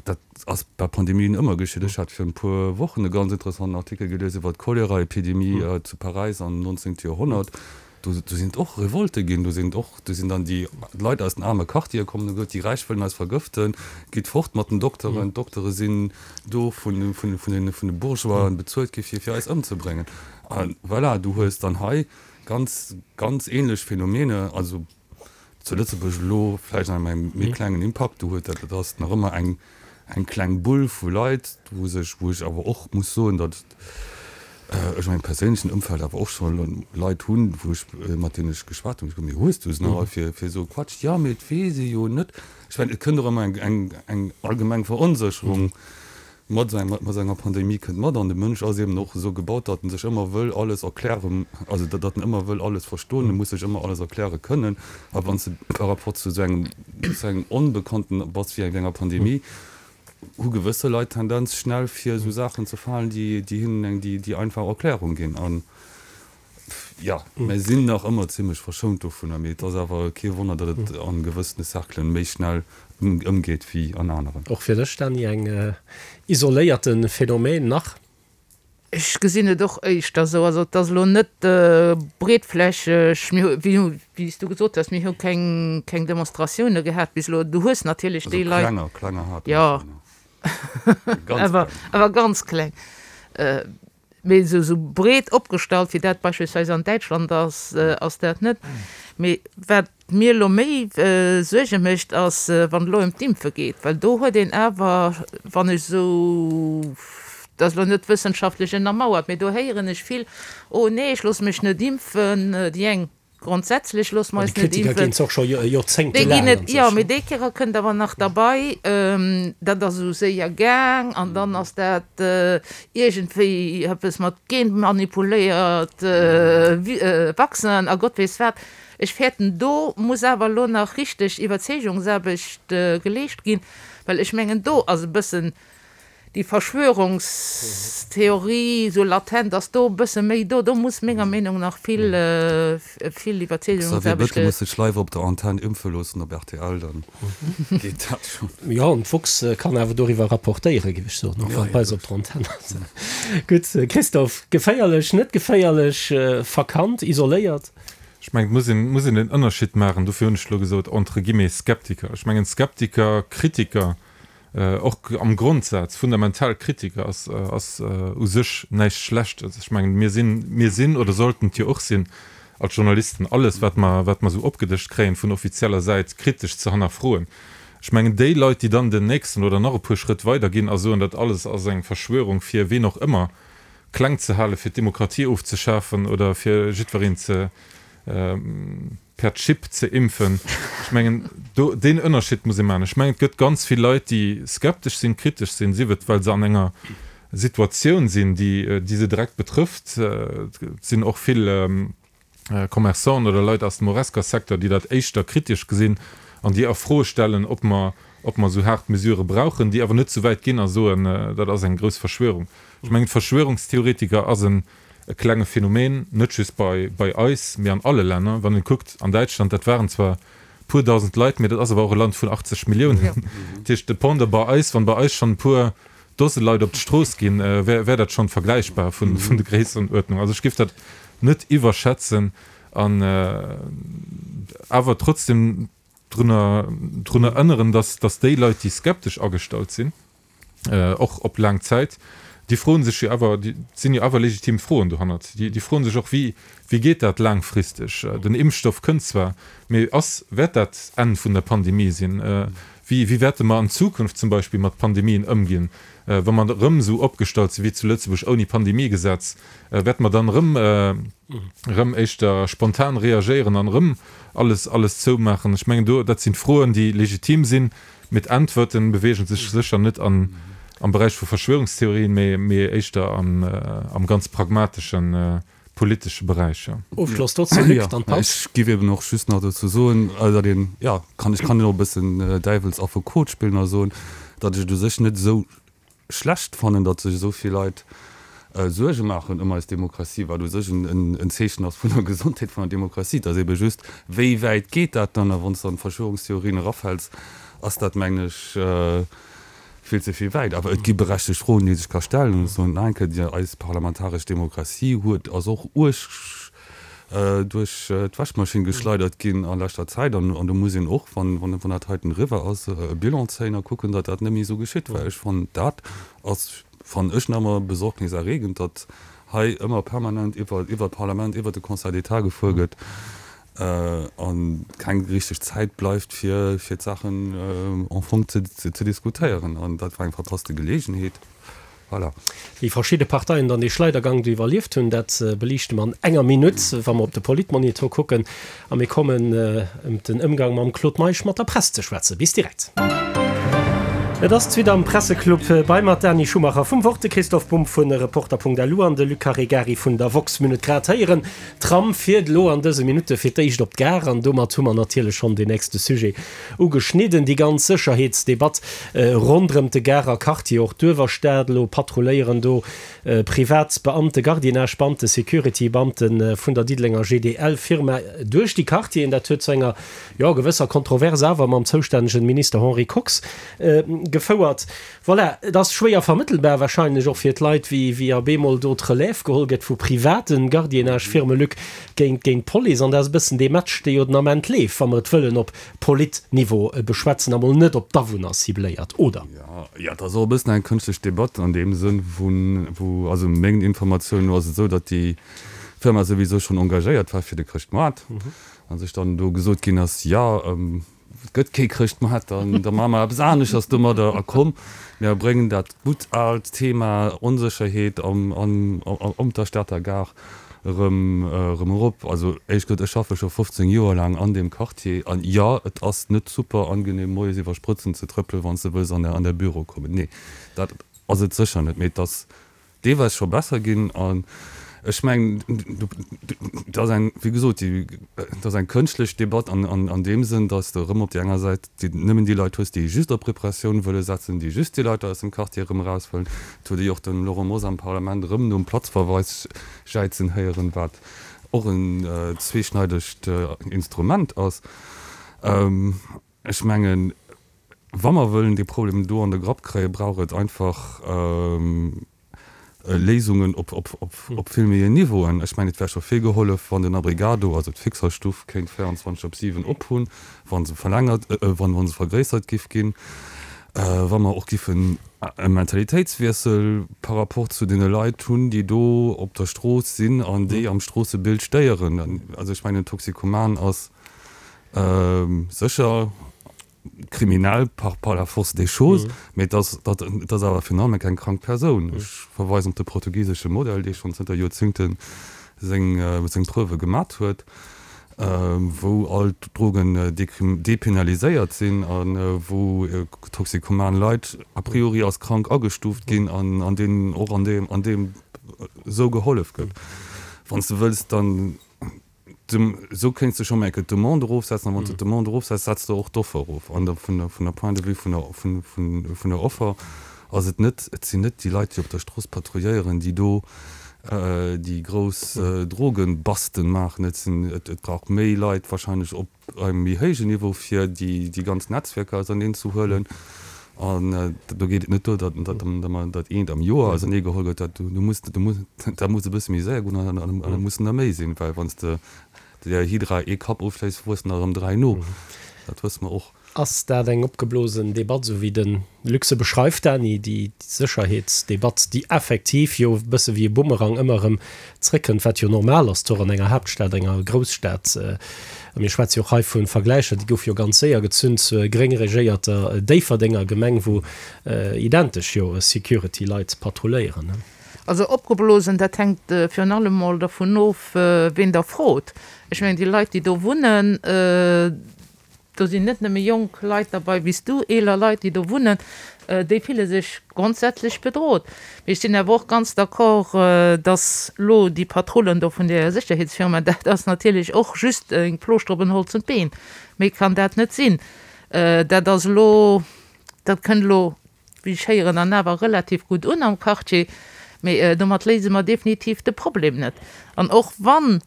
Dat ass bei Pandemien ëmmer geschitt. Ech hat virun e puer Wochen e ganz interessanten Artikel gelies iwwer d'Choleraepidemie zu Paräis am 19. Joerhonnert. Do sinn et och Revolte ginn. Do sinn och, do sinn dann déi Leit aus den aarme Quartiere komm an hu gesot, déi Räich wëllen eis vergëften, gitt fort mat den Dokteren. D'Doktere sinn do vun de Bourgeoisen bezuelt gi fir eis ëmzebréngen. A voilà, du hues dann hei ganz, ganz ähnlech Phänomene. Also zu Lëtzebuerg elo vläicht an engem méi klengen Impakt do huet, dat ass nach ëmmer eng eng kleng Bull vu Leit, wou sech, wou ech awer och muss soen, datt ech a mengem perséinlechen Ëmfeld awer och scho Leit hunn, wou ech, mat deenen ech geschwat hunn, wou ech gesot hunn, mee hues du se nach all fir fir esou e Quatsch? Jo, mee et weess ee jo net. Ech mengen, et kënnt och ëmmer eng eng eng allgemeng Veronsécherung Mat mat enger Pandemie kënnt mat, an de Mënsch ass eben och esou gebaut, datt en sech ëmmer wëll alles erklären, also datt en ëmmer wëll alles verstoen, e muss sech ëmmer alles erkläre kënnen. A wann s de par rapport zu esou engem, zu engem Onbekannten bass wéi enger Pandemie, hu gewësse Leit d'Tendenz schnell fir esou Saachen ze falen, déi déi hinnen eng déi déi einfach Erklärung ginn. An Jo, mir sinn nach ëmmer zimlech verschount dovunner, mee et ass awer kee Wonner, datt et a gewëssene Cerclen méi schnell ëmgeet wéi an aneren. Och fir dech, Dany, eng isoléierte Phänomen nach? Ech gesinn et och éischter esou. Also et ass elo net breetflächeg. Mir hu, wéi wéi s du gesot hues, mir hu keng keng Demonstratioune gehat bis elo. Du hues natierlech déi Leit. Also klenger, klenger hate mer schonn. Jo, awer awer ganz kleng. Mee esou breet opgestallt, wéi dat beispillsweis an Däitschland ass, ass dat net. Mee wat mir elo méi Suerge mécht, ass, wann et elo ëm d'Impfe geet, well do huet een awer, wann ech esou, dat ass elo net wëssenschaftlech ënnermauert, mee do héieren ech vill, Oh nee, ech loosse mech net impfen, déi eng Grondsätzlech loosse mer eis net impfen. Déi Kritiker ginn et och scho joerzéngtelaang an sech. Jo, mee déi Kéier kënnt awer nach derbei, dat ass esou séier gaang an dann ass dat iergendwéi eppes mat genmanipuléiert Vaccinen a Gott weess wat. Ech fäerten, do muss awer elo nach richteg Iwwerzeegungsaarbecht geleescht ginn, well ech mengen, do ass e bëssen Déi Verschwörungstheorie, sou latent, ass do e bësse méi do. Do muss menger Meenung nach vill, vill Xavier Iwwerzeegungsaarbecht Bettel muss sech leiwer op der Antenn impfe loossen op rtl, dann geet dat schonn. Jo, an d'woxx kann awer doriwwer rapportéieren, géif ech soen, och wann et bei eis op der Antenn ass. Gutt, Christophe, geféierlech, net geféierlech, verkannt, isoléiert? Ech mengen, et muss een, muss een den Ënnerscheed maachen, dofir hunn ech elo gesot, entre guillemets Skeptiker. Ech mengen, Skeptiker, Kritiker. Och am Grondsaz, fundamental Kritik ass, ass u sech näischt Schlechtes. Ech mengen, mir sinn, mir sinn oder sollten et jo och sinn als Journalisten, alles wat mer, wat mer esou opgedëscht kréien vun offizieller Säit, kritesch ze hannerfroen. Ech mengen, déi Leit, déi dann den nächsten oder nach e puer Schrëtt weider ginn a soen, dat alles ass eng Verschwörung fir ween och ëmmer kleng ze halen, fir d'Demokratie ofzeschafen oder fir jiddwereen ze, per Chip ze impfen. Ech mengen, do, deen Ënnerscheed muss ee maachen. Ech mengen, et gëtt ganz vill Leit, déi skeptesch sinn, kritesch sinn, sief et, well se an enger Situatioun sinn, déi, déi se direkt betrëfft. Et sinn och vill Commerçanten oder Leit aus dem Horesca-Secteur, déi dat éischter kritesch gesinn an déi a Fro stellen, ob mer, ob mer esou haart Mesurë brauchen, déi awer net esou wäit ginn a soen, dat ass eng grouss Verschwörung. Ech mengen, d'Verschwörungstheoretiker ass en e klenge Phänomen, net just bei bei eis, mee an alle Länner. Wann een kuckt, an Däitschland, dat waren zwar puer dausend Leit, mee dat ass awer och e Land vun 80 Milliounen. Dat heescht, de Pendant bei eis, wann bei eis schonn e puer Dose Leit op d'Strooss ginn, wär wär dat schonn vergläichbar vun vun de Gréissenuerdnung. Also ech géif dat net iwwerschätzen an awer trotzdem drun drun erënneren, dass dass déi Leit, déi skeptesch agestallt sinn, och op laang Zäit, déi froen sech jo awer, déi sinn jo awer legitim Froen dohannert, déi, déi froen sech och, wéi, wéi geet dat laangfristeg? Den Impfstoff kënnt zwar, mee ass, wäert dat d'Enn vun der Pandemie sinn? Wéi, wéi wäerte mer an Zukunft zum Beispill mat Pandemien ëmginn, wa mer erëm esou opgestallt si wéi zu Lëtzebuerg ouni Pandemiegesetz? Wäerte mer dann erëm, erëm éischter spontan reagéieren an erëm alles, alles zoumaachen? Ech mengen do, dat sinn Froen, déi legitim sinn, Mee d'Äntwerten beweegen sech sécher net an am Beräich vu Verschwörungstheorien, mee mee éischter am am ganz pragmateschen politesche Beräich, jo. Ofschloss dozou, Luc, dann d'Paus. Ech giff eben och just nach dozou soen, datt een, jo, kann, ech kann jo och e bëssen Däiwelsaffekot spillen a soen, datt ech et u sech net esou schlecht fannen, datt sech esou vill Leit Suerge maachen ëm eis Demokratie, wat u sech en Zeechen ass vun der Gesondheet vun der Demokratie. Et ass ebe just, wéi wäit geet dat dann? A wann s de an d'Verschwörungstheorien erafäls, ass dat, mengen ech, vill ze vill wäit. Awer et gi berechtegt Froen, déi ee sech ka stellen. An ech soen nach eng Kéier, Eis parlamentaresch Demokratie huet, ass och uerg duerch d'Wäschmaschinn geschleidert ginn a leschter Zäit. An do muss een och, wann dat heiten eriwwer ass, e Bilan zéien a kucken, datt dat net méi esou geschitt. Well ech fannen, dat ass, fannen ech nach ëmmer besorgniserregend, datt hei ëmmer permanent iwwer d'Parlament, iwwer de Conseil d'État gefuer gëtt a keng richteg Zäit bleift, fir d'Saachen en fong ze diskutéieren. An dat war eng verpasste Geleegenheet. Voilà. Wéi verschidde Parteien dann dee Schleidergang do iwwerlieft hunn, dat beliichte mer an enger Minutt, wa mer op de Politmonitor kucken. A mir kommen ëm den Ëmgang mam Claude Meisch mat der Press ze schwätzen. Bis direkt. Et ass d'Suite am Presseclub bei mer, d'Dany Schumacher vum Wort, de Christoph Bumb vu Reporter.lu an de Luc Caregari vun der Woxx. Mir hunn et grad héieren, D'Tram fiert elo an dëse Minutte fir d'éischt op d'Gare an domat hu mer natierlech schonn deen nächste Sujet Ugeschnidden, déi ganz Sécherheetsdebatt ronderëm de Garer Quartier, och d'Uewerstad. Elo patrulléieren do privat Beamte, Gardiennage-Beamte, Security-Beamte vun der Diddelenger GDL-Firma duerch déi Quartieren. Dat huet zu enger, jo, gewësser Kontrovers awer mam zoustännegen Minister Henri Kox gefouert. Voilà, et ass schwéier vermëttelbar wahrscheinlech och fir d'Leit, wéi wéi a bemol do d'Relève geholl gëtt vu private Gardiennage-Firme, Luc, géint géint d'Police. An dat ass e bëssen dee Match, dee jo den Ament leeft, wa mer et wëllen op Polit-Niveau beschwätzen a mol net op d'Awunner cibléiert, oder? Jo, jo, et ass och e bëssen eng kënschtlech Debatt an deem Sënn, wou, wou, also mengen Informatiounen no ass et esou, datt déi Firma souwisou schonn engagéiert war fir de Chrëschtmoart a sech dann do gesot ginn ass, jo, Et gëtt kee Chrëschtmaart, dann da maache mer eppes aneschters domadder. A komm, mir bréngen dat gutt aalt Thema Onsécherheet am, am, op der Stater Gare erëm, erëm erop. Also éierlech gesot, ech schaffe scho 15 Joer laang an deem Quartier an jo, et ass net super angenehm moies iwwer Sprëtzen ze trëppelen, wann s de wëlls an an däi Büro kommen. Nee, dat ass et sécher net. Mee et ass deelweis scho besser ginn an ech mengen, et ass eng, wéi gesot, et ass eng kënschtlech Debatt an deem Sënn, datt s de erëm op där enger Säit nëmmen déi Leit hues, déi just op Repressioun wëlle setzen, déi just déi Leit aus dem Quartier erëm eraus wëllen. Et huet ee jo och de Laurent Mosar am Parlament erëm nom Platzverweis jäizen héieren, wat och en zweeschneidegt Instrument ass. Ech mengen, wa mer wëllen dee Problem do an de Grapp kréien, brauch et einfach Léisungen op vill méi Niveauen. Ech mengen, et wär scho vill gehollef, wann den Abrigado, also d'Fixerstuff, kéint 24 op 7 op hunn, wa se verlängert, wa se vergréissert giff ginn. Wa mer och giffen e Mentalitéitswiessel par rapport zu deene Leit hunn, déi do op der Strooss sinn an déi am Stroossebild stéieren. Also ech mengen, en Toxikoman ass sécher kriminell par par la force des choses, mee et ass, et ass awer virun allem keng krank Persoun. Ech verweisen op de portugisesche Modell, dee schonn zënter Joerzéngte seng seng Preuve gemat huet, wou all d'Drogen depenaliséiert sinn a wou toxikoman Leit a priori als krank agestuuft ginn an deenen och an deem an deem esou gehollef gëtt. Wann s de wëlls, dann esou kéints de scho mol eng Kéier d'Demande erofsetzen a wann s de d'Demande erofsetz, setz de och d'Offer erof. An da vun der vun der Point de vue vun der vun vun vun der Offer ass et net, et sinn net déi Leit, déi op der Strooss patrouilléieren, déi do déi grouss Drogenbasten maachen. Et sinn, et brauch méi Leit wahrscheinlech op engem méi héijen Niveau, fir déi déi ganz Netzwerker auserneen ze huelen. An do geet et net duer, datt datt datt eent am Joer ausernee geholl gëtt. Dat do muss do muss dat muss e bësse méi séier goen an an et mussen der méi sinn, well wann s de der Hydra ee Kapp ofschléiss, wuessen der erëm 3 no. Dat wësse mer och. Ass dat eng opgeblosen Debatt, esou wéi de Luc se beschreift, Dany, déi Sécherheetsdebatt, déi effektiv jo e bësse wéi e Bumerang ëmmer erëm zréckkënnt, wat jo normal ass, toch an enger Haaptstad, enger Grousstad. A mir schwätze jo och hei vu Vergläicher, déi goufe jo ganz séier gezunn zur gréng regéierter Déifferdenger Gemeng, wou identesch jo Security-Leit patrulléieren. Also opgeblosen, dat hänkt virun allem mol dervun of, ween Der frot. Ech mengen, déi Leit, déi do wunnen, Do sinn net nëmme jonk Leit derbei wéi s du, eeler Leit, déi do wunnen, déi fille sech grondsätzlech bedrot. Mee ech sinn awer och ganz d'accord, dass lo déi Patrullen do vun där Sécherheetsfirma, dat ass natierlech och just eng Plooschter op en holzent Been. Méi kann dat net sinn. Dat ass elo, dat kënnt elo, wéi ech héieren, an awer relativ gutt un am Quartier. Mee domat léise mer definitiv de Problem net. An och wann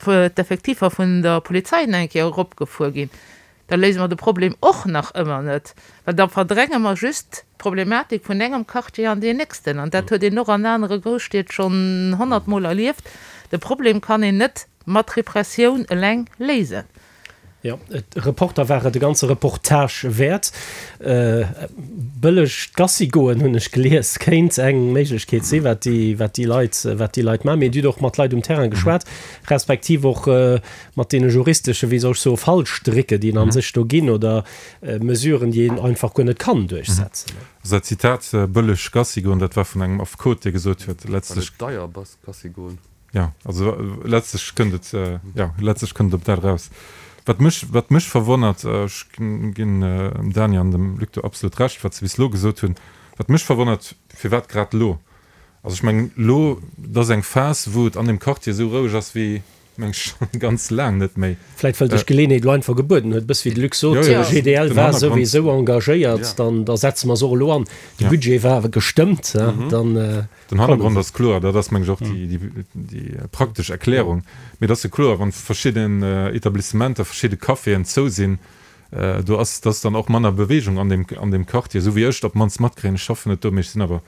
d'Effektifer vun der Polizei eng Kéier eropgefuer ginn, da léise mer de Problem och nach ëmmer net, well da verdränge mer just d'Problematik vun engem Quartier an deen nächsten. An dat huet een och an anere Grousstied schonn honnertmol erlieft, De Problem kann een net mat Repressioun eleng léisen. Jo, Reporter war et e ganze Reportage wäert. Bëlleg Gassi goen, hunn ech gelies, kéint eng Méiglechkeet sinn, wat déi, wat déi Leit, wat déi Leit maachen. Mee Dir hutt och mat Leit um Terrain geschwat, respektiv och mat deene juristesche, wéi soll ech soen, Fallstrécke, déi en a sech do ginn oder Mesuren, déi een einfach guer net kann duerchsetzen. Also dat Zitat bëlleg Gassi goen, dat war vun engem Affekot, dee gesot huet, letztlech. Well et deier bass Gassi goen. Jo, also letztlech kënnt et, jo, letztlech kënnt et op dat eraus. Wat mech, wat mech verwonnert, ech ginn dem Dany an dem Luc do absolut Recht, wat se bis elo gesot hunn, wat mech verwonnert, firwat grad elo? Also ech mengen, elo, et ass eng Phas, wou et an deem Quartier esou roueg ass wéi, meng ech, schonn ganz laang net méi. Vläit well sech d'Geleeënheet elo einfach gebueden huet, e bësse wéi de Luc sot, GDL war souwisou engagéiert, dann da setze mer se och elo an. De Budget war gestëmmt, dann. Den Hannergrond ass kloer, dat ass, meng ech, och déi praktesch Erklärung. Mee et ass jo kloer, wann verschidden Etablissementer, verschidde Caféen zou sinn, do ass dass dann och manner Bewegung an deem, an deem Quartier, esou wéi ech et op d'mannst matkréien. Ech schaffen net do, mee ech sinn awer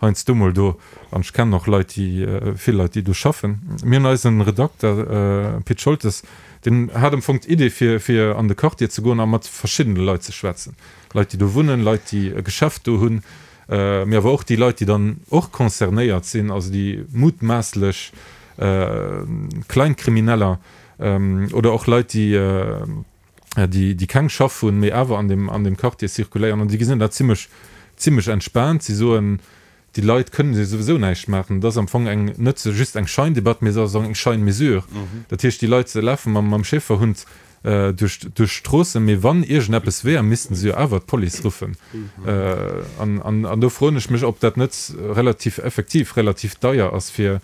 heiansdo mol do an ech kennen och Leit, déi, vill Leit, déi do schaffen. Mir hunn eisen Redakter Pit Scholtes, deen hat am Fong d'Idee fir, fir an de Quartier ze goen a mat verschiddene Leit ze schwätzen, Leit, déi do wunnen, Leit, déi e Geschäft do hunn, mee awer och déi Leit, déi dann och concernéiert sinn, also déi mutmaasslech Kleinkrimineller oder och Leit, déi, déi keng Schaff hunn, mee awer an deem, an deem Quartier zirkuléieren. An déi gesinn dat zimlech, zimlech entspaant. Si soen, déi Leit kënnen jo souwisou näischt maachen. Et ass am Fong eng, net just eng Scheindebatt, mee et ass och eng Scheinmesure. Dat heescht, déi Leit lafe mam, mam Schäferhund duerch d'Stroossen, mee wann iergendeppes wär, missten se jo awer d'Police ruffen. An do froen ech mech, ob dat net relativ effektiv relativ deier ass fir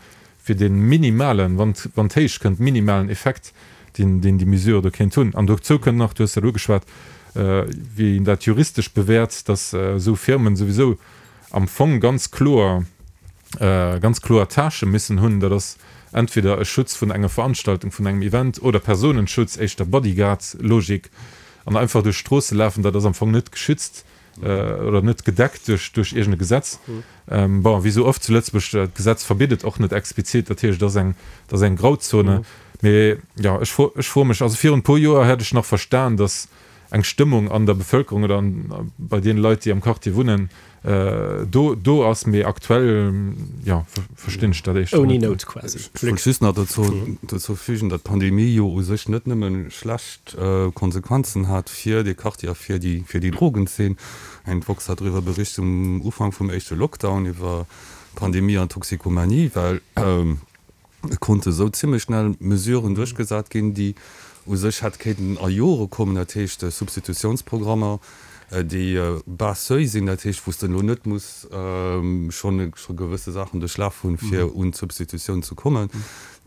dee minimalen, wann et héich kënnt, minimalen Effekt, deen déi Mesure do kéint hunn. An dozou kënnt nach, du hues dat ugeschwat, wéi een dat juristesch bewäert, datt esou Firmen souwisou am Fong ganz kloer, ganz kloer Tâchë missen hunn, dat ass entweder e Schutz vun enger Veranstaltung, vun engem Event oder Personenschutz, éischter Bodyguard-Logik, an einfach duerch d'Stroosse lafen, dat ass am Fong net geschützt oder net gedeckt duerch, duerch iergend e Gesetz. Bon, wéi esou oft zu Lëtzebuerg, d'Gesetz verbitt et och net explizit, dat heescht, et ass eng, et ass eng Grauzone. Mee jo, ech fro, ech froe mech, also virun e puer Joer hätt ech nach verstan, datt. eng Stëmmung an der Bevëlkerung oder an, bei deene Leit, déi am Quartier wunnen, do, do ass. Mee aktuell, jo, verstinn ech dat éischter Ouni net. Nout quasi. Ech wollt just nach dozou, dozou fügen, datt d'Pandemie jo u sech net nëmme schlecht Konsequenzen hat fir dee Quartier a fir déi, fir déi Drogenzeen. Eng d'woxx hat driwwer bericht um Ufank vum éischte Lockdown iwwer Pandemie an Toxikomanie, well et konnte sou zimmlech schnell Mesuren duerchgesat ginn, déi u sech hätt kéinten a Jore kommen, dat heescht Substitutiounsprogrammer, déi bas seuil sinn, dat heescht wou s de elo net muss schonn gewësse Saachen duerchlaf hunn, fir un d'Substitutioun ze kommen.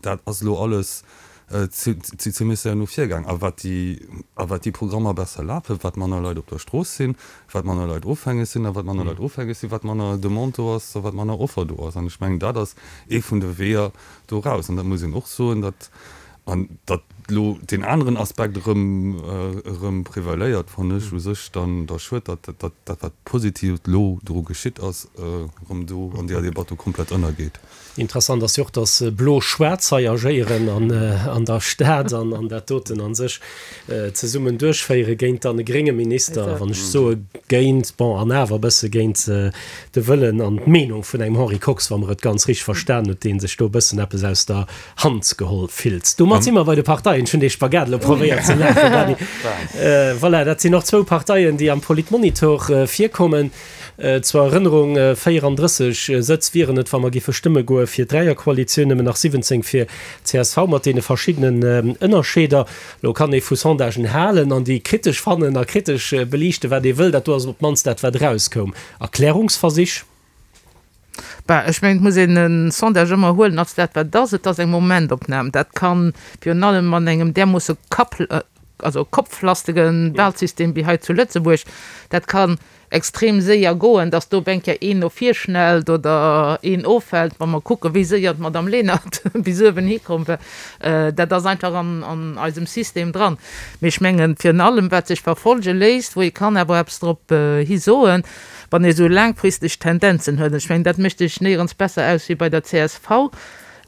Dat ass elo alles zimmlech séier no vir gaang. A wat déi, a wat déi Programmer besser lafen, wat manner Leit op der Strooss sinn, wat manner Leit ofhängeg sinn, a wat manner Leit ofhängeg sinn, wat manner Demande do ass a wat manner Offer do ass. An ech mengen, dat ass ee vun de Weeër do raus. An dat muss een och soen, datt, an datt elo deen aneren Aspekt erëm, erëm prevaléiert, fannen ech u sech dann da schued, datt dat, dat wat Positivet elo dru geschitt ass, erëm do an deeër Debatt do komplett ënnergeet. Interessant ass jo och, dass Blo-Schwaarz hei agéieren an der Stad an an dat doten a sech zesummen duerchféiere géint dann e grénge Minister, wann ech soe géint, bon, an awer e bësse géint de Wëllen an d'Meenung vun engem Henri Kox, wa mer et ganz richteg verstan huet, dee sech do e bëssen eppes aus der Hand geholl fillt. Domat si mer bei de Parteien. Ech hunn dee Spagat elo probéiert ze maachen, Dany. Voilà, dat sinn och zwou Parteien, déi am Politmonitor virkommen. Zur Erënnerung, 34 Sëtz wieren et, wa mer géife stëmme goe fir d'Dräierkoalitioun, nëmmen nach 17 fir csv, mat deene verschiddenen Ënnerscheeder. Elo kann ee vu Sondagen halen an déi kritesch fannen a kritesch beliichten, wat ee wëll. Dat do ass op d'mannst dat, wat erauskoum. Erklärungsversich? Bah, ech mengen, et muss een e Sondage ëmmer huelen als dat, wat et ass. Et ass eng Momentopnam. Dat ka virun allem an engem därmoosse kapp, also kopflastige Wahlsystem wéi hei zu Lëtzebuerg, dat kann extrem séier goen, dass do op eng Kéier een no vir schnellt oder een offält, wa mer kucken, wéi séier d'Madame Lenert bis uewen hikomm war. Dat ass einfach an eisem System dran. Mee ech mengen, virun allem wat sech verfolge léisst, wou ee kann awer eppes drop hi soen, wann ee sou laangfristeg Tendenzen huet, an ech mengen, dat mécht sech néierens besser aus wéi bei der csv,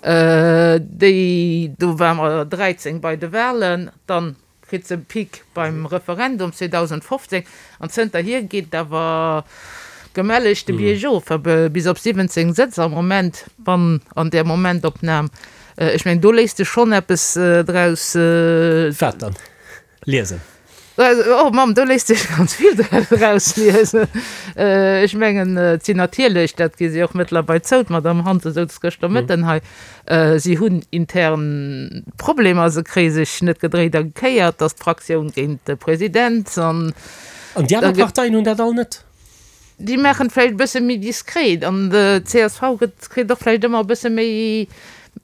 déi, do ware mer 13 bei de Wahlen, dann kritt se e Pic beim Referendum 2015 an zënterhier geet et awer gemelleg de Biergof, bis op 17 Sëtz am Moment, wann an där Momentopnam. Ech mengen, do léisst sech schonn eppes draus. Wat dann? Liesen. Oh Mamm, do léisst sech ganz vill draus liesen. Ech mengen, et sinn natierlech, dat gi si och mëttlerweil zou, d'Madame Hansen souz gëschter Mëtten hei, Si hunn intern Problemer, se kréie sech net gedréit a gekéiert, dass d'Fraktioun géint de President an. An déi aner Parteien hunn dat all net? Déi maachen et vläicht e bësse méi diskret an d'CSV gëtt, kritt och vläicht ëmmer e bësse méi,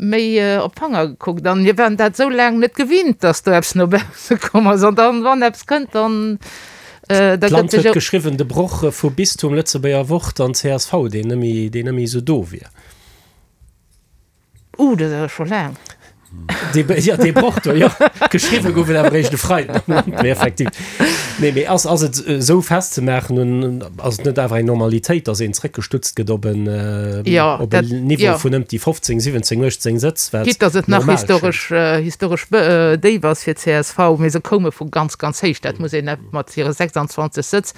méi op d'Fanger gekuckt. An mir waren dat esou laang net gewinnt, dass do eppes no bausse komm ass. An dann, wann eppes kënnt, dann, da gëtt D'Land sech huet geschriwwen, de Broch vu Bistum, Lëtzebuerger Wort an csv, deen net méi, deen net méi esou do wier. Uh, dat ass awer scho laang. Dee, ja, dee Broch do, jo. Geschriwwe gouf et awer eréischt e Freiden am Land, mee effektiv. Nee, mee ass, ass et esou festzemaachen un, ass et net awer eng Normalitéit, datt een zréckgestutzt gëtt op en, Ja, op dat, en Niveau ja. vun ëmt déi 15, 17, 18 Sëtz, wat Quitte datt et nach normal schéngt? historesch, historesch déif ass fir csv, mee se koume vu ganz, ganz héich, dat muss een mat hire 26 Sëtz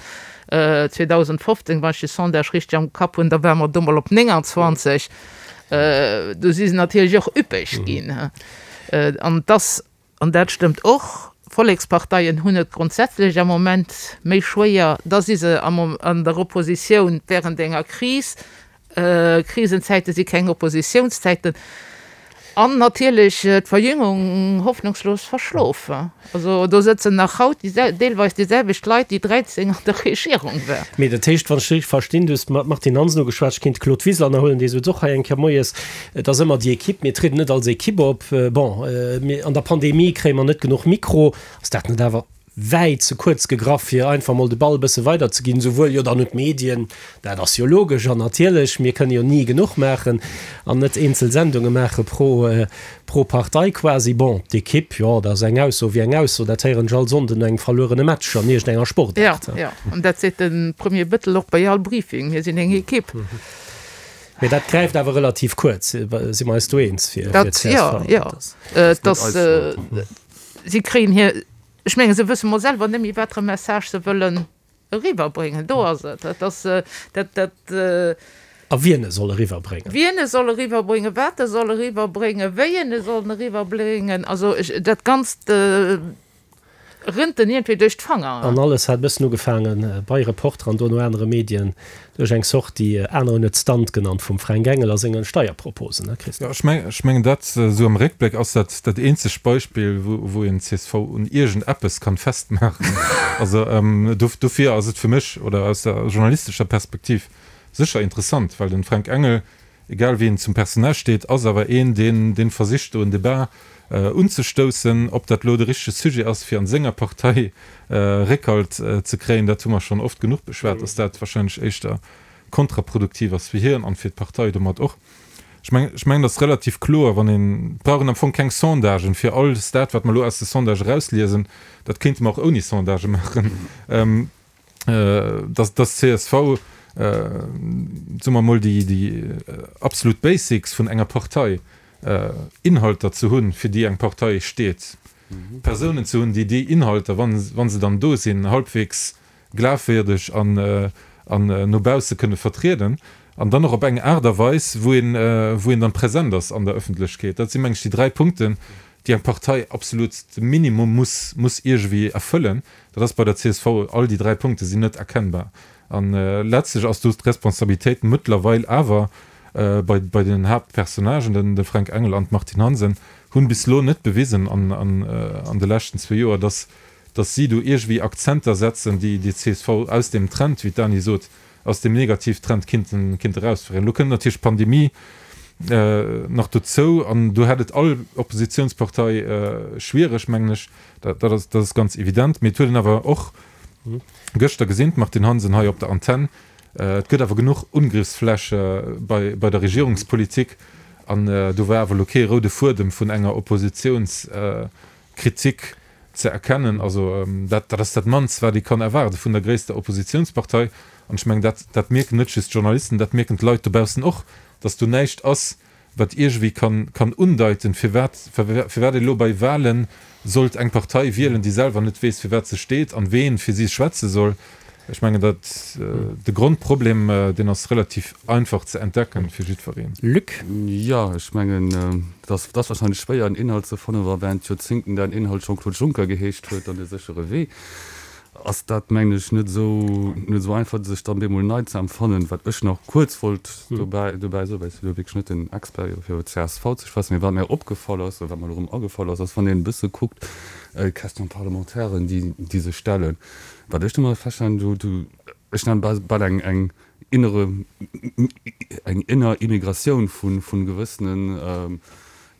2015, wann ech de Sondage richteg am Kapp hunn, da ware mer do mol op 29. Do si se natierlech och üppeg ginn. An et ass, an dat stëmmt och, Volleksparteien hunn et grondsätzlech am Moment méi schwéier, da si se an der Oppositioun wärend enger Kris. Krisenzäite si keng Oppositiounszäiten. An natierlech d'Verjüngung hoffnungslos verschlof. Also do sëtzen nach haut deelweis déi selwecht Leit, déi 13 an der Regierung waren. Mee dat heescht, wann ech richteg verstinn, du hues d'Martine Hansen ugeschwat, ech kéint d'Claude Wiseler nach huelen, dee souz och hei eng Kéier moies, et ass ëmmer déi Equipe, mir trieden net als Equipe op. Bon, an der Pandemie kréie mer net genuch Mikro. Ass dat net awer wäit ze kuerz gegraff, fir einfach mol de Ball e bësse weiderzeginn, souwuel jo dann un d'Medien, dat ass jo logesch an natierlech, mir kënne jo ni genuch maachen an net eenzel Sendunge maache pro, pro Partei quasi. Bon, d'Ekipp, jo, dat ass eng Ausso wéi eng Ausso, dat héieren ech all Sonnden no engem verluerene Match an iergendenger Sportaart. Jo, jo, an dat seet de Premier Bettel och bei all Briefing, mir sinn eng Ekipp. Mee dat gräift awer relativ kuerz, si mer eis do eens, fir Dat, csv? jo, jo, et ass, si kréien hir. Ech mengen, se wësse mol selwer net méi, wat fir e Message se wëllen eriwwerbréngen. Do ass et. Dat ass dat, dat. A wien e soll eriwwerbréngen. Wien e soll eriwwerbréngen, wat e soll eriwwerbréngen, wéi en e soll eriwwerbréngen. Also ech, dat Ganzt rënnt en iergendwéi duerch d'Fanger. An alles hat e bëssen ugefaange bei Reporter an dono anere Medien duerch eng Sortie, aner hunn et Stunt genannt, vum Fränk Engel a senge Steierproposen, ne Christophe? Jo, ech mengen, ech mengen dat esou am Réckbléck ass dat dat eenzegt Beispill, wou, wou een csv un iergend eppes kann festmaachen. Also dofir ass et fir mech, oder aus der journalistescher Perspektiv, sécher interessant, well den Fränk Engel, egal wéi en zum Personnage steet, ass awer een, deen, deen versicht do en Debat unzestoussen. Ob dat elo de richtege Sujet ass, fir an senger Partei Réckhalt ze kréien, dat hu mer schonn oft genuch beschwat, dass dat wahrscheinlech éischter kontraproduktiv ass fir hien an fir d'Partei domat och. Ech mengen, ech mengen, dat ass relativ kloer, wann een, et brauch een am Fong keng Sondagen, fir alles dat, wat mer elo aus de Sondage erausliesen, dat kéinte mer och ouni Sondage maachen. Dass dass csv, soe mer emol, déi déi absolut Basics vun enger Partei, Inhalter ze hunn, fir déi eng Partei steet, Persounen ze hunn, déi déi Inhalter, wa wa se dann do sinn, halbwegs glafwierdeg an an no bausse kënne vertrieden an dann och op eng Aart a Weis, wou een wou een dann present ass an der Ëffentlechkeet. Dat si meng ech déi 3 Punkten, déi eng Partei absolut de Minimum muss muss iergendwéi erfëllen. Dat ass bei der csv, all déi 3 Punkte sinn net erkennbar. An letztlech ass do d'Responsabilitéit mëttlerweil awer bei bei den Haaptpersonnagen, den de Fränk Engel an d'Martine Hansen, hunn bis elo net bewisen an an an de leschten zwee Joer, dass dass si do iergendwéi Akzenter setzen, déi déi csv aus deem Trend, wéi d'Dany sot, aus deem Negativtrend kinnten kinnte erausféieren. Elo kënnt natierlech d'Pandemie nach dozou an do hätt et all Oppositionspartei schwiereg, mengen ech. Dat dat ass dat ass ganz evident. Mee et huet een awer och gëschter gesinn, d'Martine Hansen hei op der Antenn, et gëtt awer genuch Ungriffsfläche bei bei der Regierungspolitik an do war awer elo kee roude Fuedem vun enger Oppositionskritik ze erkennen. Also dat dat ass dat mannst, wat ee kann erwaarde vun der gréisster Oppositionspartei. An ech mengen, dat dat mierken net just d'Journalisten, dat mierken d'Leit dobaussen och, datt do näischt ass, wat iergendwéi kann kann undeiten, firwat firwat ee lo bei Wahlen sollt eng Partei wielen, déi selwer net weess, firwat se steet an ween fir si schwätze soll. Ech mengen, dat de Grondproblem, deen ass relativ einfach ze entdecken fir jiddwereen. Luc. Jo, ech mengen, et ass et ass wahrscheinlech schwéier en Inhalt ze fannen, wa während Joerzéngten däin Inhalt Jean-Claude Juncker geheescht huet an de séchere Wee. Ass dat, mengen ech, net esou, net esou einfach, sech dann bemol nei ze empfannen. Wat ech nach kuerz wollt dobäi, dobäi soen, well ech sinn elo wierklech net den Expert fir iwwer csv ze schwätzen, mee wat mir opgefall ass, oder wat mer elo erëm agefall ass, ass, wann een e bësse kuckt, d'Questions parlementairen, déi, déi sech stellen, wat ech do mol feststellen, do, do, ech nennen bal, bal eng, eng innere, eng inner Immigratioun vu, vu gewëssenen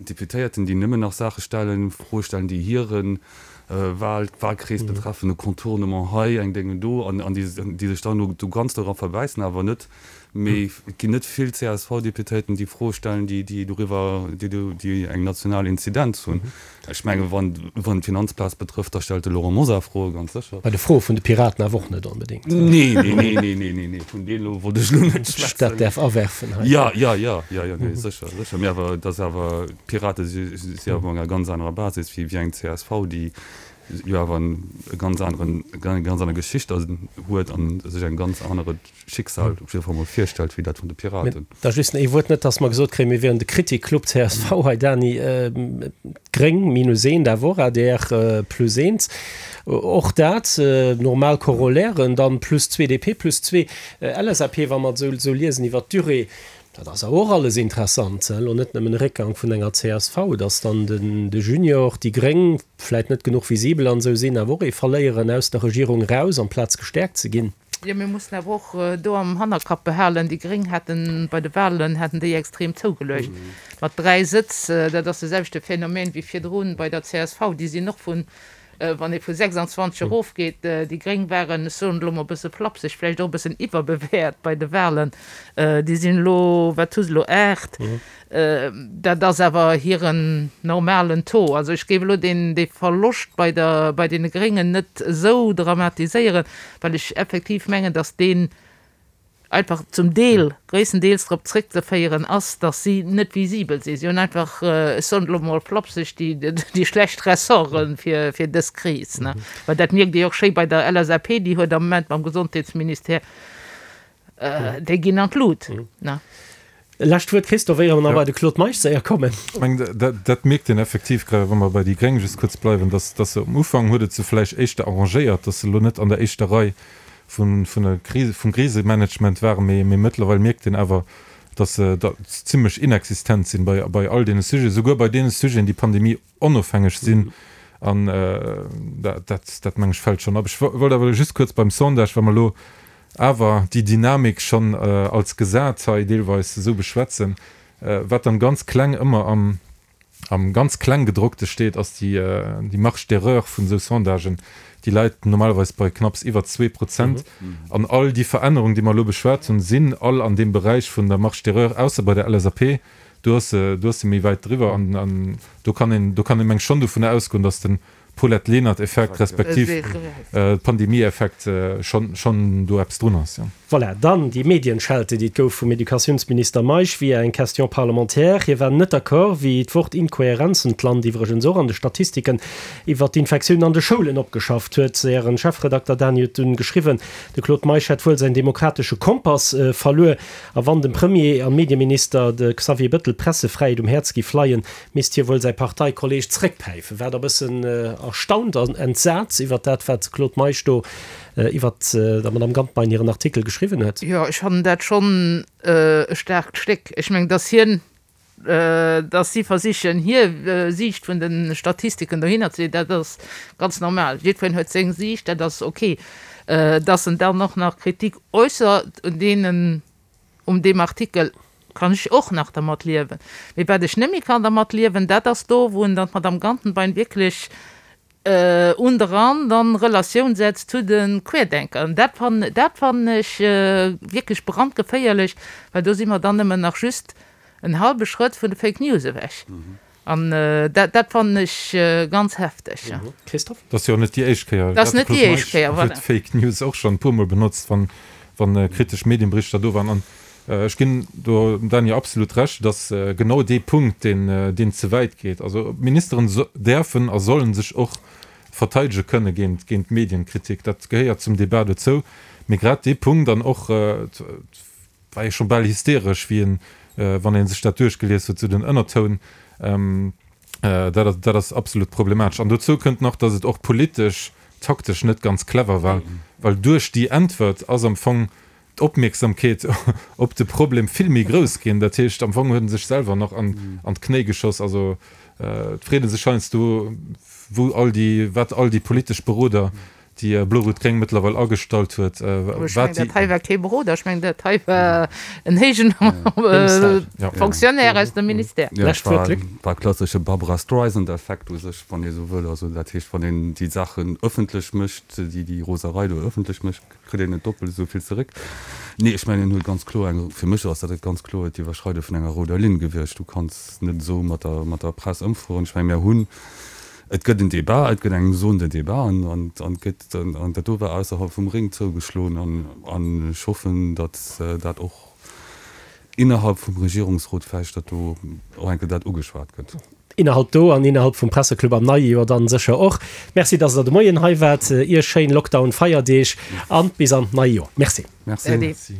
Deputéierten, déi nëmmen nach Saache stellen, Froe stellen, déi hire Wahl, Wahlkrees betreffen, e Contournement hei, eng Dénge do, an déi sech dann do ganz dora verbäissen, awer net méi. Et ginn net vill CSV-Deputéierten, déi Froe stellen, déi doriwwer, déi eng national Inzidenz hunn. Ech menge wann d'Finanzplaz betrëfft, da stellt de Laurent Mosar Froe, ganz sécher. Bei de Froe vun de Piraten awer och net onbedéngt. Nee, nee, nee, nee, nee, nee, nee, vun deenen elo wollt ech elo net schwätzen. Ech dat däerf awerfen hei. Jo, jo, jo, jo, jo, nee, sécher, sécher. Mee awer et ass awer, d'Pirate si si awer op enger ganz anerer Basis wéi wéi eng csv, déi jo awer e ganz aneren, eng ganz aner Geschicht huet an sech eng ganz anere Schicksal op jidde Fall mol virstellt wéi dat vun de Piraten. Da just ee Wuert, net dass mer gesot kréien, mir wieren de Kritikclub csv hei, Dany. D'Gréng minus eent, awer och adr plus eent. Och dat normal Corollairen, dann plus zwee DP, plus zwee LSAP, wa mer et esou liesen iwwert d'Durée. Dat ass awer och alles interessant, elo net nëmmen e Réckgang vun enger csv, dass dann de Junior, déi Gréng vläit net genuch visibel an esou sinn, awer och ee verléieren aus der Regierung eraus, amplaz gestäerkt ze ginn. Jo, mir mussen awer och do am Hannerkapp behalen, déi Gréng haten bei de Wahlen haten déi extrem zougeluecht mat 3 Sëtz. Dat ass de selwechte Phänomen wéi virdrun bei der csv. Déi sinn och vun, wann ee vu 26 erofgeet, déi Gréng waren, ech soen et elo mol e bësse flapseg, vläicht och e bëssen iwwerbewäert bei de Wahlen. Déi sinn elo, wat hu se elo, 8. Dat ass awer hiren normalen Taux. Also ech géif elo deen, dee Verloscht bei der, bei deene Gréngen net esou dramatiséieren, well ech effektiv mengen, datt deen. einfach zum Deel, gréisstendeels drop zréckzeféieren ass, datt si net visibel sinn. Si hunn einfach, ech soen et elo emol flapseg, déi, déi schlecht Ressorte fir, fir dës Kris, ne. Well dat mierkt ee jo och schéi bei der LSAP, déi huet am Moment mam Gesondheetsministère, déi ginn an d'Lut, ne. Lescht Wuert, Christophe, éier mer nach bei de Claude Meisch séier kommen. Ech mengen, dat mierkt een effektiv, grad wa mer bei déi Gréng just kuerz bleiwen, dass se um Ufank huet et se vläicht éischter arrangéiert, dass se elo net an der éischter Rei vun der Kris, vum Krisemanagement waren, mee mëttlerweil mierkt een awer, dass se zimlech inexistent sinn bei bei all deene Sujeten, souguer bei deene Sujeten, déi Pandemie onofhängeg sinn. An dat, dat meng ech, fält schonn ab. Ech wollt awer just kuerz beim Sondage, wa mer elo awer déi Dynamik schonn als gesat hei deelweis esou beschwätzen, wat dann ganz kleng ëmmer am am ganz Klenggedrockte steet, ass déi déi Marge d'erreur vun esou Sondagen, déi läit normalerweis bei knapps iwwer 2%. An all déi Verännerungen, déi mer elo beschwat hunn, sinn all an deem Beräich vun der Marge d'erreur, ausser bei der LSAP, do ass se do ass se méi wäit driwwer. An do kann een do kann ee meng schonn dovunner ausgoen, datt den Paulette Lenert-Effekt respektiv Pandemie-Effekt schonn do eppes drun ass, jo. Voilà, dann déi Medienschelte, déi et gouf vum Educatiounsminister Meisch via eng Question parlementaire. Hie war net d'accord, wéi d'Wort Inkohärenzen d'Land iwwregens och an de Statistiken iwwert d'Infektiounen an de Schoulen opgeschafft huet. Ären Chefredakter Dany huet dunn geschriwwen, de Claude Meisch hätt wuel säin demokratesche Kompass verluer. A wann dem Premier an Medieminister, de Xavier Bëttel, d'Pressefräiheet um Häerz giff leien, misst hie wuel säi Parteikolleeg zréckpäifen. War der e bëssen erstaunt an entsat iwwert dat, wat de Claude Meisch do iwwert der Madame Gantenbein hiren Artikel geschriwwen huet? Jo, ech fannen dat schonn e staarkt Stéck. Ech mengen, datt hien, datt si versichen, hir Siicht vun de Statistiken dohinner ze leeën, dat ass ganz normal. Jiddwereen huet seng Siicht, dat ass ok. Datt en dann och nach Kritik äussert un deenen, Um deem Artikel kann ech och nach dermat liewen. Mee wat ech net méi kann dermat liewen, dat ass do, wou en dann d'Madame Gantenbein wierklech un de Rand an Relatioun setzt zu de Querdenker. An dat fannen, dat fannen ech wierklech brandgeféierlech, well do si mer dann nëmmen nach just en hallwe Schrëtt vun de Fake News ewech. An dat, dat fannen ech ganz hefteg. Christophe? Dat ass jo och net déi éischt Kéier. Dat ass net déi éischt Kéier, voilà. Huet Fake News och schonn e puermol benotzt, wann, wann kritesch Medienberichter do waren. An ech ginn do dem Dany absolut Recht, et ass genau dee Punkt, deen, deen ze wäit geet. Also Ministeren däerfen a sollen sech och verteidege kënne géint, géint Medienkritik. Dat gehéiert zum Debat dozou. Mee grad dee Punkt an och, war ee scho bal hysteresch, wéi en, wann ee sech dat duerchgelies huet, sou den Ënnertoun, dat ass, dat ass absolut problematesch. An dozou kënnt nach, datt et och politesch, taktesch net ganz clever war, well duerch déi Äntwert ass am Fong d'Opmierksamkeet op de Problem vill méi grouss ginn. Dat heescht, am Fong huet en sech selwer nach an d'Knéi geschoss. Also et freet ee sech heiansdo, wou all déi, wat all déi politesch Beroder déi Blo-Rout-Gréng mëttlerweil agestallt huet, Ech mengen, dat hei war kee Beroder, ech mengen, dat hei war en héijen Fonctionnaire aus dem Ministère. Jo, et war e klassesche Barbra Streisand-Effekt u sech, wann ee sou wëll. Also dat heescht, wann een déi Saachen ëffentlech mécht, déi déi Roserei do ëffentlech mécht, kritt een net doppelt esou vill zeréck. Nee, ech mengen, en huet ganz kloer eng, fir mech ass dat et ganz kloer d'Iwwerschreide vun enger rouder Linn gewiescht. Du kanns net esou mat der, mat der Press ëmfueren. Ech menge mir hunn Et gëtt en Débat, et gëtt eng Zone de débat an an gëtt an dat do war ausserhalb vum Ring zougeschloen an an ech hoffen, datt dat och innerhalb vum Regierungsrot vläicht datt do och eng Kéier dat ugeschwat gëtt. Innerhalb do an innerhalb vum Presseclub am neie Joer dann sécher och. Merci, datt Der de Moien hei waart. Iech schéin Lockdown-Feierdeeg an bis an d'neie Joer. Merci. Merci.